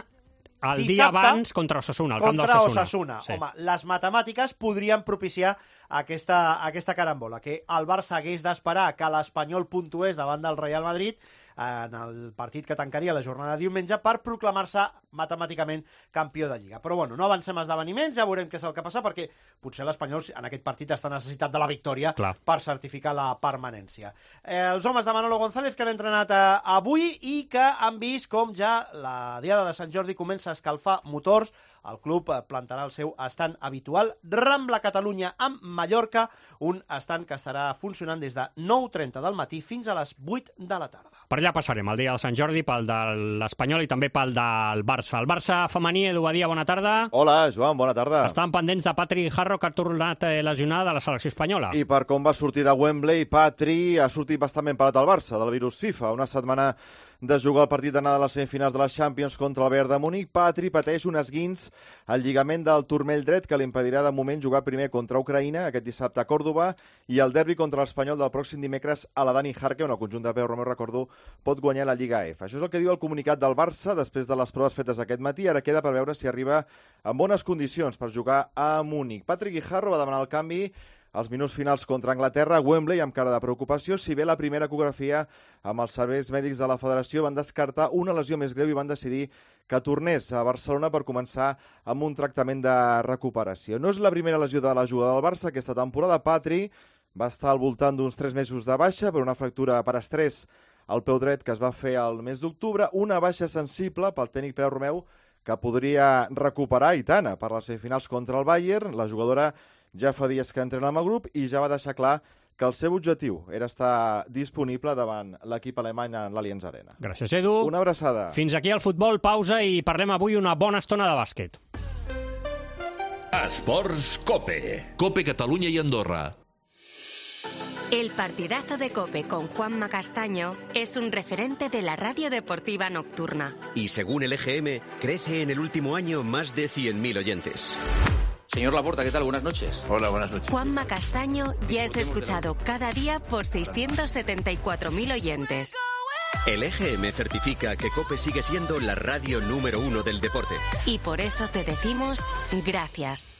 Speaker 4: el dia abans contra Osasuna, al camp d'Osasuna.
Speaker 11: Sí. Home, les matemàtiques podrien propiciar aquesta carambola, que el Barça hagués d'esperar que l'Espanyol puntués davant del Real Madrid en el partit que tancaria la jornada de diumenge per proclamar-se matemàticament campió de Lliga. Però bueno, no avancem esdeveniments, ja veurem què és el que passa, perquè potser l'Espanyol en aquest partit està necessitat de la victòria per certificar la permanència. Els homes de Manolo González que han entrenat avui i que han vist com ja la diada de Sant Jordi comença a escalfar motors. El club plantarà el seu estand habitual Rambla Catalunya amb Mallorca, un estand que estarà funcionant des de 9:30 del matí fins a les 8 de la tarda.
Speaker 4: Per allà passarem el dia de Sant Jordi, pel de l'Espanyol i també pel del Barça. El Barça femení, Edu Badia, bona tarda.
Speaker 1: Hola, Joan, bona tarda.
Speaker 4: Estan pendents de Patri Jarro, que ha tornat lesionada de la selecció espanyola.
Speaker 1: I per com va sortir de Wembley, Patri ha sortit bastant ben parat al Barça, del virus FIFA. Una setmana de jugar el partit d'anada de les semifinals de la Champions contra el Bayern de Múnich, Patri pateix un esguins al lligament del turmell dret que li impedirà de moment jugar primer contra Ucraïna aquest dissabte a Còrdova i el derbi contra l'Espanyol del pròxim dimecres a la Dani Jarque, on el conjunt de Pau Romeu, recordo, pot guanyar la Lliga F. Això és el que diu el comunicat del Barça després de les proves fetes aquest matí. Ara queda per veure si arriba en bones condicions per jugar a Múnich. Patrick Guijarro va demanar el canvi als minuts finals contra Anglaterra a Wembley amb cara de preocupació, si bé la primera ecografia amb els serveis mèdics de la federació van descartar una lesió més greu i van decidir que tornés a Barcelona per començar amb un tractament de recuperació. No és la primera lesió de la jugadora del Barça aquesta temporada. Patri va estar al voltant d'uns 3 mesos de baixa per una fractura per estrès al peu dret que es va fer al mes d'octubre, una baixa sensible pel tècnic Pau Romeu que podria recuperar i tant per les semifinals contra el Bayern. La jugadora ja fa dies que entrena amb el grup i ja va deixar clar que el seu objectiu era estar disponible davant l'equip alemany en l'Allianz Arena.
Speaker 4: Gràcies, Edu.
Speaker 1: Una abraçada.
Speaker 4: Fins aquí el futbol, pausa i parlem avui una bona estona de bàsquet.
Speaker 2: Esports COPE. COPE Catalunya i Andorra.
Speaker 3: El partidazo de COPE con Juanma Castaño es un referente de la radio deportiva nocturna.
Speaker 23: Y según el EGM, crece en el último año más de 100.000 oyentes.
Speaker 24: Señor Laporta, ¿qué tal? Buenas noches.
Speaker 5: Hola, buenas noches.
Speaker 3: Juanma Castaño ya es escuchado cada día por 674.000 oyentes.
Speaker 23: El EGM certifica que COPE sigue siendo la radio número 1 del deporte.
Speaker 3: Y por eso te decimos gracias.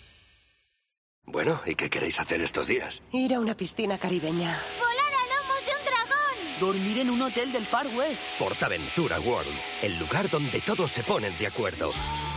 Speaker 23: Bueno, ¿y qué queréis hacer estos días?
Speaker 25: Ir a una piscina caribeña.
Speaker 26: ¡Volar a lomos de un dragón!
Speaker 25: Dormir en un hotel del Far West.
Speaker 23: Portaventura World, el lugar donde todos se ponen de acuerdo.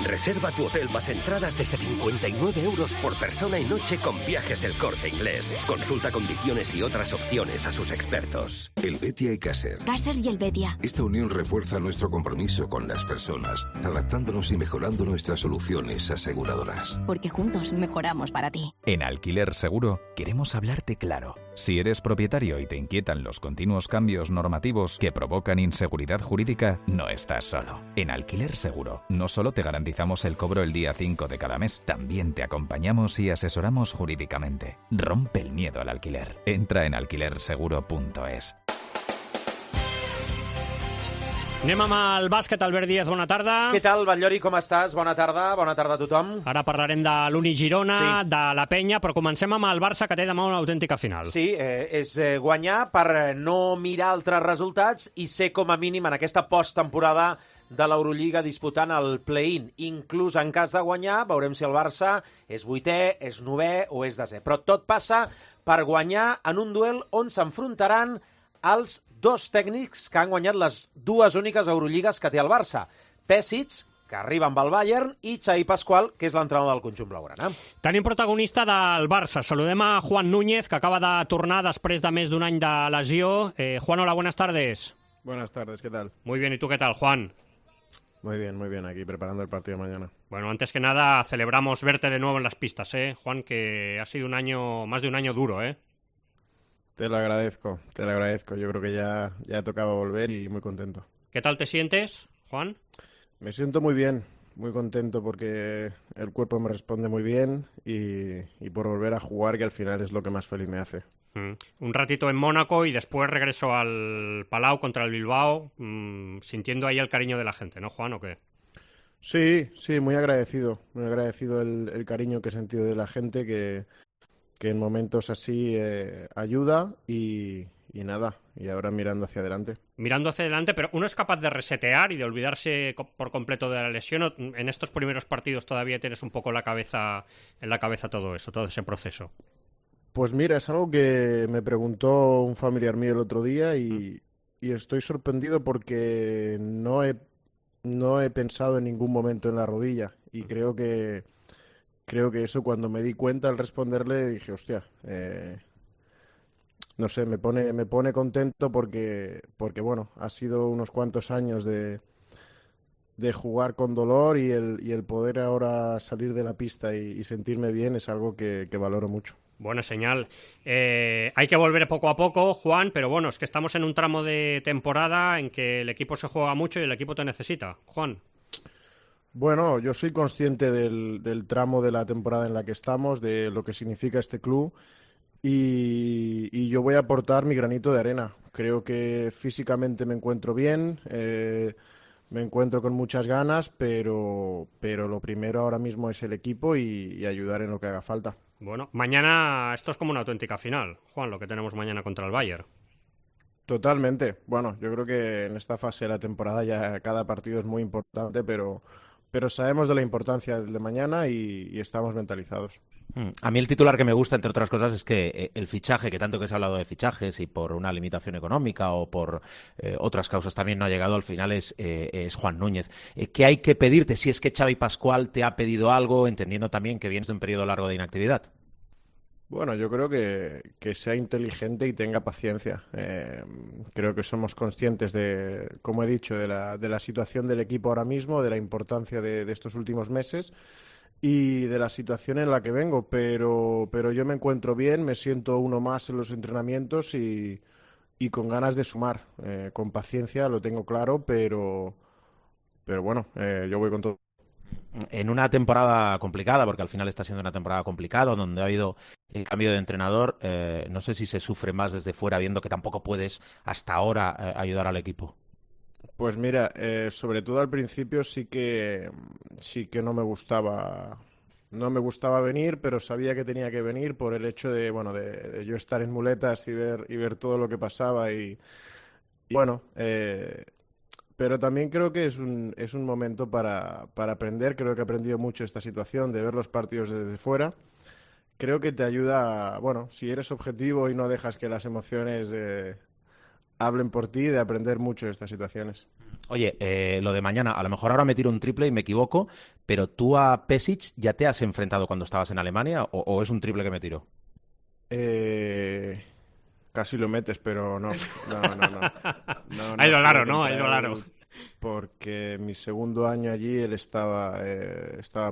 Speaker 23: Reserva tu hotel más entradas desde 59 euros por persona y noche con Viajes del Corte Inglés. Consulta condiciones y otras opciones a sus expertos.
Speaker 27: Helvetia y Caser.
Speaker 3: Caser y Helvetia.
Speaker 27: Esta unión refuerza nuestro compromiso con las personas, adaptándonos y mejorando nuestras soluciones aseguradoras.
Speaker 3: Porque juntos mejoramos para ti.
Speaker 28: En Alquiler Seguro queremos hablarte claro. Si eres propietario y te inquietan los continuos cambios normativos que provocan inseguridad jurídica, no estás solo. En Alquiler Seguro no solo te garantizamos el cobro el día 5 de cada mes, también te acompañamos y asesoramos jurídicamente. Rompe el miedo al alquiler. Entra en alquilerseguro.es.
Speaker 4: Anem amb el bàsquet. Albert Díaz, bona tarda.
Speaker 29: Què tal, Batllori, com estàs? Bona tarda a tothom.
Speaker 4: Ara parlarem de l'Uni Girona, de la Penya, però comencem amb el Barça, que té demà una autèntica final.
Speaker 29: Sí, és guanyar per no mirar altres resultats i ser com a mínim en aquesta posttemporada de l'Eurolliga disputant el play-in. Inclús en cas de guanyar, veurem si el Barça és 8è, és 9è o és 10è. Però tot passa per guanyar en un duel on s'enfrontaran els dos tècnics que han guanyat les dues úniques Eurolligues que té el Barça. Pesic, que arriba amb el Bayern, i Xavi Pascual, que és l'entrenador del conjunt blaugrana.
Speaker 4: Tenim protagonista del Barça. Saludem a Juan Núñez, que acaba de tornar després de més d'un any de lesió. Juan, hola, buenas tardes.
Speaker 30: Buenas tardes, ¿qué tal?
Speaker 4: Muy bien, ¿y tú qué tal, Juan?
Speaker 30: Muy bien, aquí preparando el partido de mañana.
Speaker 4: Bueno, antes que nada, celebramos verte de nuevo en las pistas, Juan, que ha sido más de un año duro,
Speaker 30: Te lo agradezco. Yo creo que ya tocaba volver y muy contento.
Speaker 4: ¿Qué tal te sientes, Juan?
Speaker 30: Me siento muy bien, muy contento porque el cuerpo me responde muy bien y por volver a jugar, que al final es lo que más feliz me hace.
Speaker 4: Un ratito en Mónaco y después regreso al Palau contra el Bilbao, sintiendo ahí el cariño de la gente, ¿no, Juan, o qué?
Speaker 30: Sí, muy agradecido el cariño que he sentido de la gente, que en momentos así ayuda y nada, y ahora mirando hacia adelante.
Speaker 4: Mirando hacia adelante, pero uno es capaz de resetear y de olvidarse por completo de la lesión. En estos primeros partidos todavía tienes un poco en la cabeza todo eso, todo ese proceso.
Speaker 30: Pues mira, es algo que me preguntó un familiar mío el otro día y estoy sorprendido porque no he pensado en ningún momento en la rodilla y creo que eso, cuando me di cuenta al responderle, dije, hostia, no sé, me pone contento porque bueno, ha sido unos cuantos años de jugar con dolor y el poder ahora salir de la pista y sentirme bien es algo que valoro mucho.
Speaker 4: Buena señal. Hay que volver poco a poco, Juan, pero bueno, es que estamos en un tramo de temporada en que el equipo se juega mucho y el equipo te necesita. Juan.
Speaker 30: Bueno, yo soy consciente del tramo de la temporada en la que estamos, de lo que significa este club y yo voy a aportar mi granito de arena. Creo que físicamente me encuentro bien, me encuentro con muchas ganas, pero lo primero ahora mismo es el equipo y ayudar en lo que haga falta.
Speaker 4: Bueno, mañana esto es como una auténtica final, Juan, lo que tenemos mañana contra el Bayern.
Speaker 30: Totalmente. Bueno, yo creo que en esta fase de la temporada ya cada partido es muy importante, pero sabemos de la importancia del de mañana y estamos mentalizados.
Speaker 7: A mí el titular que me gusta, entre otras cosas, es que el fichaje, que tanto que se ha hablado de fichajes y por una limitación económica o por otras causas también no ha llegado, al final es Juan Núñez. ¿Qué hay que pedirte? Si es que Xavi Pascual te ha pedido algo, entendiendo también que vienes de un periodo largo de inactividad.
Speaker 30: Bueno, yo creo que sea inteligente y tenga paciencia. Creo que somos conscientes de, como he dicho, de la situación del equipo ahora mismo, de la importancia de estos últimos meses y de la situación en la que vengo, pero yo me encuentro bien, me siento uno más en los entrenamientos y con ganas de sumar. Con paciencia, lo tengo claro, pero bueno, yo voy con todo.
Speaker 7: En una temporada complicada, porque al final está siendo una temporada complicada, donde ha habido el cambio de entrenador, no sé si se sufre más desde fuera, viendo que tampoco puedes hasta ahora ayudar al equipo.
Speaker 30: Pues mira, sobre todo al principio sí que no me gustaba venir, pero sabía que tenía que venir por el hecho de yo estar en muletas y ver todo lo que pasaba y bueno, pero también creo que es un momento para aprender. Creo que he aprendido mucho esta situación de ver los partidos desde fuera. Creo que te ayuda, si eres objetivo y no dejas que las emociones hablen por ti, de aprender mucho de estas situaciones.
Speaker 7: Oye, lo de mañana, a lo mejor ahora me tiro un triple y me equivoco, pero tú a Pesic ya te has enfrentado cuando estabas en Alemania o es un triple que me tiro?
Speaker 30: Casi lo metes, pero no.
Speaker 4: Ha ido largo, ¿no? Ha ido largo.
Speaker 30: Porque mi segundo año allí él estaba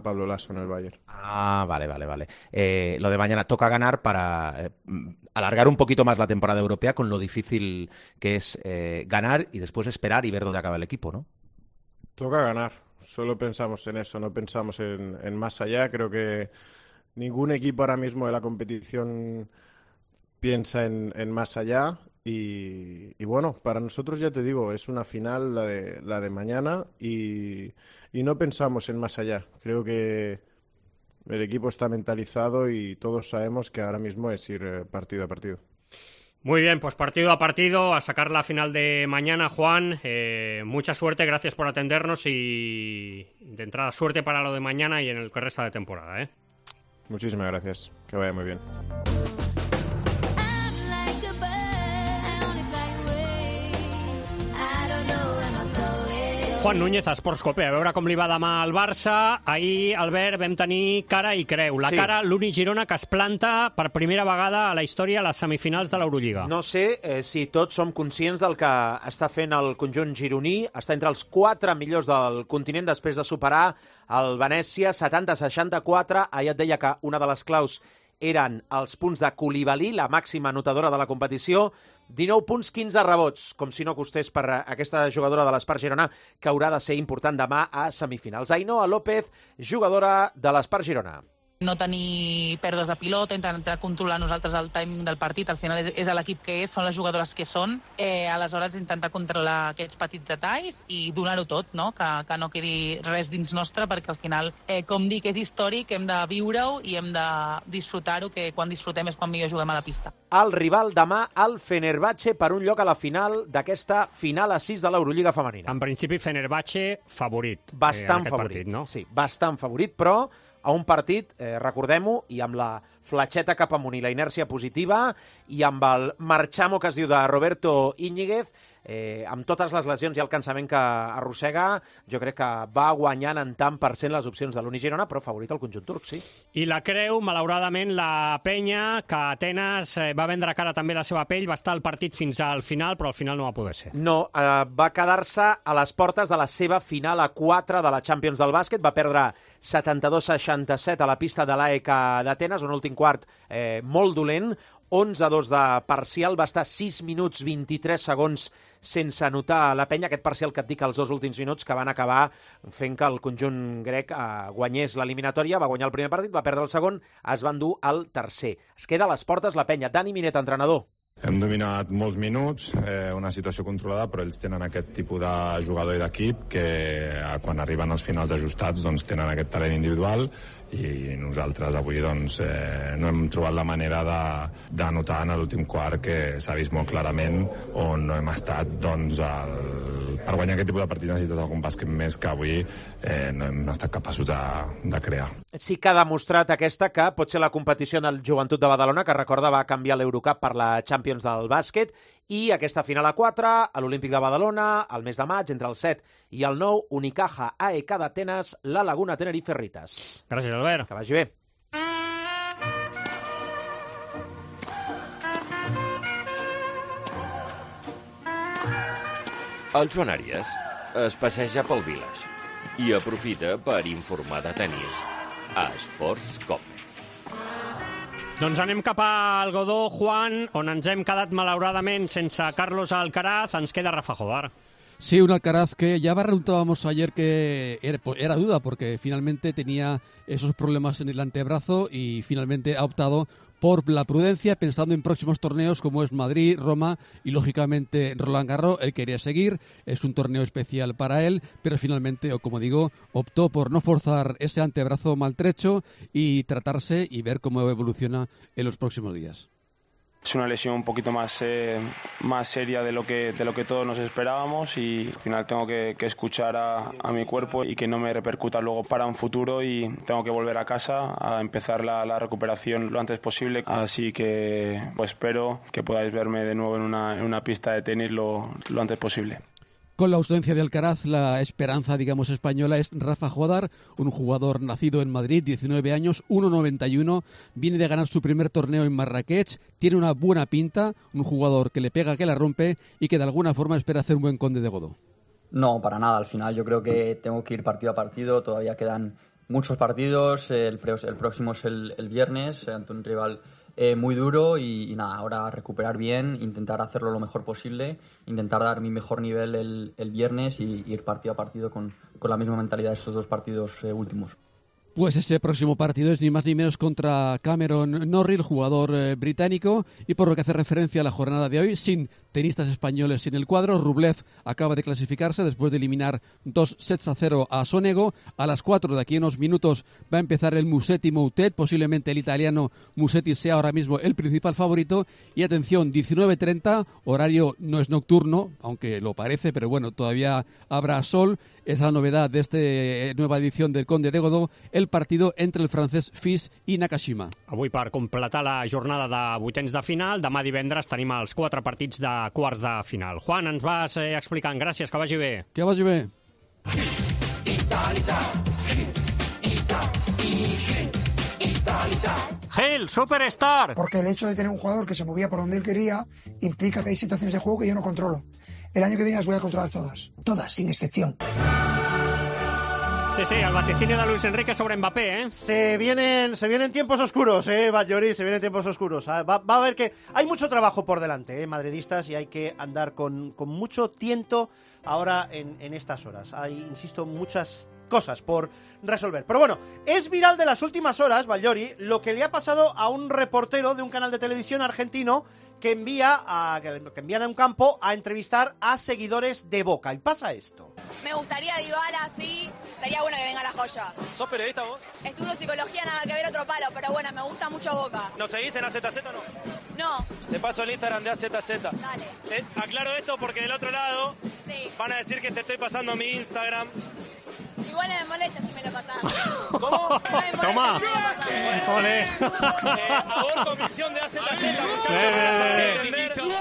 Speaker 30: Pablo Lasso en el Bayern.
Speaker 7: Ah, vale. Lo de mañana toca ganar para alargar un poquito más la temporada europea con lo difícil que es ganar y después esperar y ver dónde acaba el equipo, ¿no?
Speaker 30: Toca ganar. Solo pensamos en eso, no pensamos en más allá. Creo que ningún equipo ahora mismo de la competición piensa en más allá y bueno, para nosotros ya te digo, es una final la de mañana y no pensamos en más allá. Creo que el equipo está mentalizado y todos sabemos que ahora mismo es ir partido a partido.
Speaker 4: Muy bien, pues partido a partido, a sacar la final de mañana, Juan. Mucha suerte, gracias por atendernos y de entrada suerte para lo de mañana y en el que resta de temporada,
Speaker 30: Muchísimas gracias, que vaya muy bien.
Speaker 4: Juan Núñez, a Esports Cope, a veure com li va demà al Barça. Ahir, Albert, vam tenir cara i creu. La cara, l'únic Girona que es planta per primera vegada a la història a les semifinals de l'Eurolliga.
Speaker 29: No sé si tots som conscients del que està fent el conjunt gironí. Està entre els 4 millors del continent després de superar el Venècia 70-64. Ahir et deia que una de les claus eren els punts de Koulibaly, la màxima anotadora de la competició, 19 punts, 15 rebots, com si no costés per aquesta jugadora de l'Espart Girona, que haurà de ser important demà a semifinals. Ainhoa López, jugadora de l'Espart Girona.
Speaker 8: No tenir pèrdues de pilota, intentar controlar nosaltres el timing del partit. Al final és l'equip que és, són les jugadores que són. Aleshores, intentar controlar aquests petits detalls i donar-ho tot, no? Que no quedi res dins nostre, perquè al final, com dic, és històric, hem de viure-ho i hem de disfrutar-ho, que quan disfrutem és quan millor juguem a la pista.
Speaker 29: El rival demà, el Fenerbahçe, per un lloc a la final d'aquesta final a 6 de l'Eurolliga femenina.
Speaker 4: En principi, Fenerbahçe favorit.
Speaker 29: Bastant
Speaker 4: en aquest
Speaker 29: favorit,
Speaker 4: partit, no?
Speaker 29: Sí, bastant favorit, però a un partit, recordem-ho, i amb la fletxeta cap amunt i la inèrcia positiva, i amb el marchamo que es diu de Roberto Íñiguez, amb totes les lesions i el cansament que arrossega, jo crec que va guanyant en tant per cent les opcions de l'Uni Girona, però favorit el conjunt turc, sí.
Speaker 4: I la creu, malauradament, la penya, que Atenes va vendre cara també la seva pell, va estar al partit fins al final, però al final no va poder ser.
Speaker 29: No, va quedar-se a les portes de la seva final a 4 de la Champions del bàsquet, va perdre 72-67 a la pista de l'AEK d'Atenes, un últim quart molt dolent, 11-2 de parcial, va estar 6 minuts 23 segons sense anotar la penya, aquest parcial que et dic els 2 últims minuts que van acabar fent que el conjunt grec guanyés l'eliminatòria, va guanyar el primer partit, va perdre el segon, es va endur el tercer. Es queda a les portes la penya. Dani Minet, entrenador.
Speaker 9: Hem dominat molts minuts, una situació controlada, però ells tenen aquest tipus de jugador i d'equip que quan arriben als finals ajustats doncs, tenen aquest talent individual, i nosaltres avui doncs, no hem trobat la manera d'anotar en l'últim quart, que s'ha vist molt clarament on no hem estat. Doncs, per guanyar aquest tipus de partit necessites algun bàsquet més que avui no hem estat capaços de crear.
Speaker 29: Sí que ha demostrat aquesta que pot ser la competició en el Joventut de Badalona, que recorda va canviar l'Eurocup per la Champions del bàsquet, i aquesta final a 4 a l'Olímpic de Badalona, al mes de maig, entre el 7 i el 9, Unicaja AEK d'Atenes, la Laguna Tenerife Ritas.
Speaker 4: Gràcies, Albert.
Speaker 29: Que vagi bé.
Speaker 10: El Joan Àries es passeja pel Village i aprofita per informar de tenis a Esports Cope.
Speaker 4: Doncs anem cap al Godó, Juan, on ens hem quedat malauradament sense Carlos Alcaraz. Ens queda Rafa Jodar.
Speaker 12: Sí, un Alcaraz que ya preguntábamos ayer que era duda porque finalmente tenía esos problemas en el antebrazo y finalmente ha optado por la prudencia, pensando en próximos torneos como es Madrid, Roma y lógicamente Roland Garros. Él quería seguir, es un torneo especial para él, pero finalmente, o como digo, optó por no forzar ese antebrazo maltrecho y tratarse y ver cómo evoluciona en los próximos días.
Speaker 13: Es una lesión un poquito más seria de lo que todos nos esperábamos, y al final tengo que escuchar a mi cuerpo y que no me repercuta luego para un futuro, y tengo que volver a casa a empezar la recuperación lo antes posible. Así que pues espero que podáis verme de nuevo en una pista de tenis lo antes posible.
Speaker 12: Con la ausencia de Alcaraz, la esperanza, digamos, española es Rafa Jodar, un jugador nacido en Madrid, 19 años, 1,91, viene de ganar su primer torneo en Marrakech, tiene una buena pinta, un jugador que le pega, que la rompe y que de alguna forma espera hacer un buen Conde de Godó.
Speaker 14: No, para nada, al final yo creo que tengo que ir partido a partido, todavía quedan muchos partidos, el próximo es el viernes ante un rival muy duro y nada, ahora recuperar bien, intentar hacerlo lo mejor posible, intentar dar mi mejor nivel el viernes y ir partido a partido con la misma mentalidad de estos 2 partidos últimos.
Speaker 12: Pues ese próximo partido es ni más ni menos contra Cameron Norrie, el jugador británico, y por lo que hace referencia a la jornada de hoy, sin tenistas españoles en el cuadro, Rublev acaba de clasificarse después de eliminar 2-0 a Sonego. A las 4 de aquí en unos minutos va a empezar el Musetti Moutet, posiblemente el italiano Musetti sea ahora mismo el principal favorito, y atención, 19:30, horario no es nocturno, aunque lo parece, pero bueno, todavía habrá sol. Es la novedad de esta nueva edición del Conde de Godó, el partido entre el francès Fils i Nakashima.
Speaker 4: Avui, per completar la jornada de vuitens de final, demà divendres tenim els 4 partits de quarts de final. Juan, ens vas explicant. Gràcies, que vagi bé.
Speaker 12: Que vagi bé.
Speaker 4: Gil, Superstar.
Speaker 15: Porque el hecho de tener un jugador que se movía por donde él quería implica que hay situaciones de juego que yo no controlo. El año que viene las voy a controlar todas. Todas, sin excepción.
Speaker 4: Sí, el vaticinio de Luis Enrique sobre Mbappé, ¿eh?
Speaker 11: Se vienen tiempos oscuros, Batllori, se vienen tiempos oscuros. Va a haber que... Hay mucho trabajo por delante, madridistas, y hay que andar con mucho tiento ahora en estas horas. Hay, insisto, muchas cosas por resolver. Pero bueno, es viral de las últimas horas, Batllori, lo que le ha pasado a un reportero de un canal de televisión argentino que envían a un campo a entrevistar a seguidores de Boca. Y pasa esto.
Speaker 1: Me gustaría Dybala, sí. Estaría bueno que venga la joya.
Speaker 2: ¿Sos periodista vos?
Speaker 1: Estudio psicología, nada que ver, otro palo, pero bueno, me gusta mucho Boca.
Speaker 2: ¿Nos seguís en AZZ o no?
Speaker 1: No.
Speaker 2: Te paso el Instagram de AZZ.
Speaker 1: Dale.
Speaker 2: Aclaro esto porque del otro lado van a decir que te estoy pasando mi Instagram.
Speaker 1: Igual no me molesta si me lo pasás.
Speaker 2: ¿Cómo?
Speaker 1: No me molesta
Speaker 4: Toma.
Speaker 1: si me lo pasás.
Speaker 4: Ole.
Speaker 2: Aborto misión de AZZ, muchachos. Le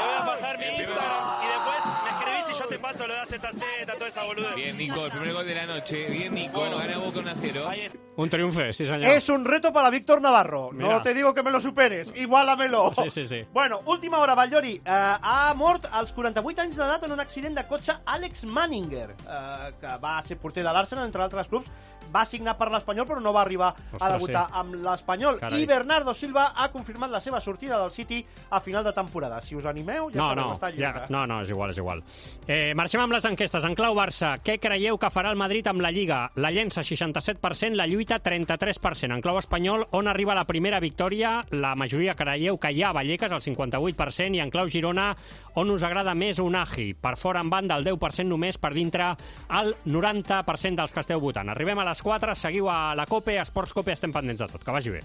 Speaker 2: voy a pasar mi Instagram y después me escribís y yo te paso lo de AZZ, toda esa boludez.
Speaker 6: Bien, Nico, el primer gol de la noche. Bien, Nico, gana Boca 1-0.
Speaker 4: Un triunfo, sí, señor.
Speaker 11: Es un reto para Víctor Navarro.
Speaker 4: Mira.
Speaker 11: No te digo que me lo superes. Igualamelo.
Speaker 4: Sí.
Speaker 11: Bueno, última hora, Batllori. Ha mort als 48 anys d'edat en un accident de cotxe Alex Manninger, que va ser porter de l'Arsenal, entre altres clubs. Va signar per l'Espanyol, però no va arribar a debutar amb l'Espanyol.
Speaker 4: Carai.
Speaker 11: I Bernardo Silva ha confirmat la seva sortida del City a final de temporada. Si us animeu, ja sabeu, està lliure.
Speaker 4: No, és igual. Marxem amb les enquestes. En clau Barça, què creieu que farà el Madrid amb la Lliga? La llença 67%, la lluita 33%. En clau espanyol, on arriba la primera victòria? La majoria creieu que hi ha Vallecas, el 58%, i en clau Girona, on us agrada més Unai? Per fora en banda, el 10% només, per dintre el 90% dels que esteu votant. Arribem a les 4, seguiu a la COPE, a Esports COPE, estem pendents de tot. Que vagi bé.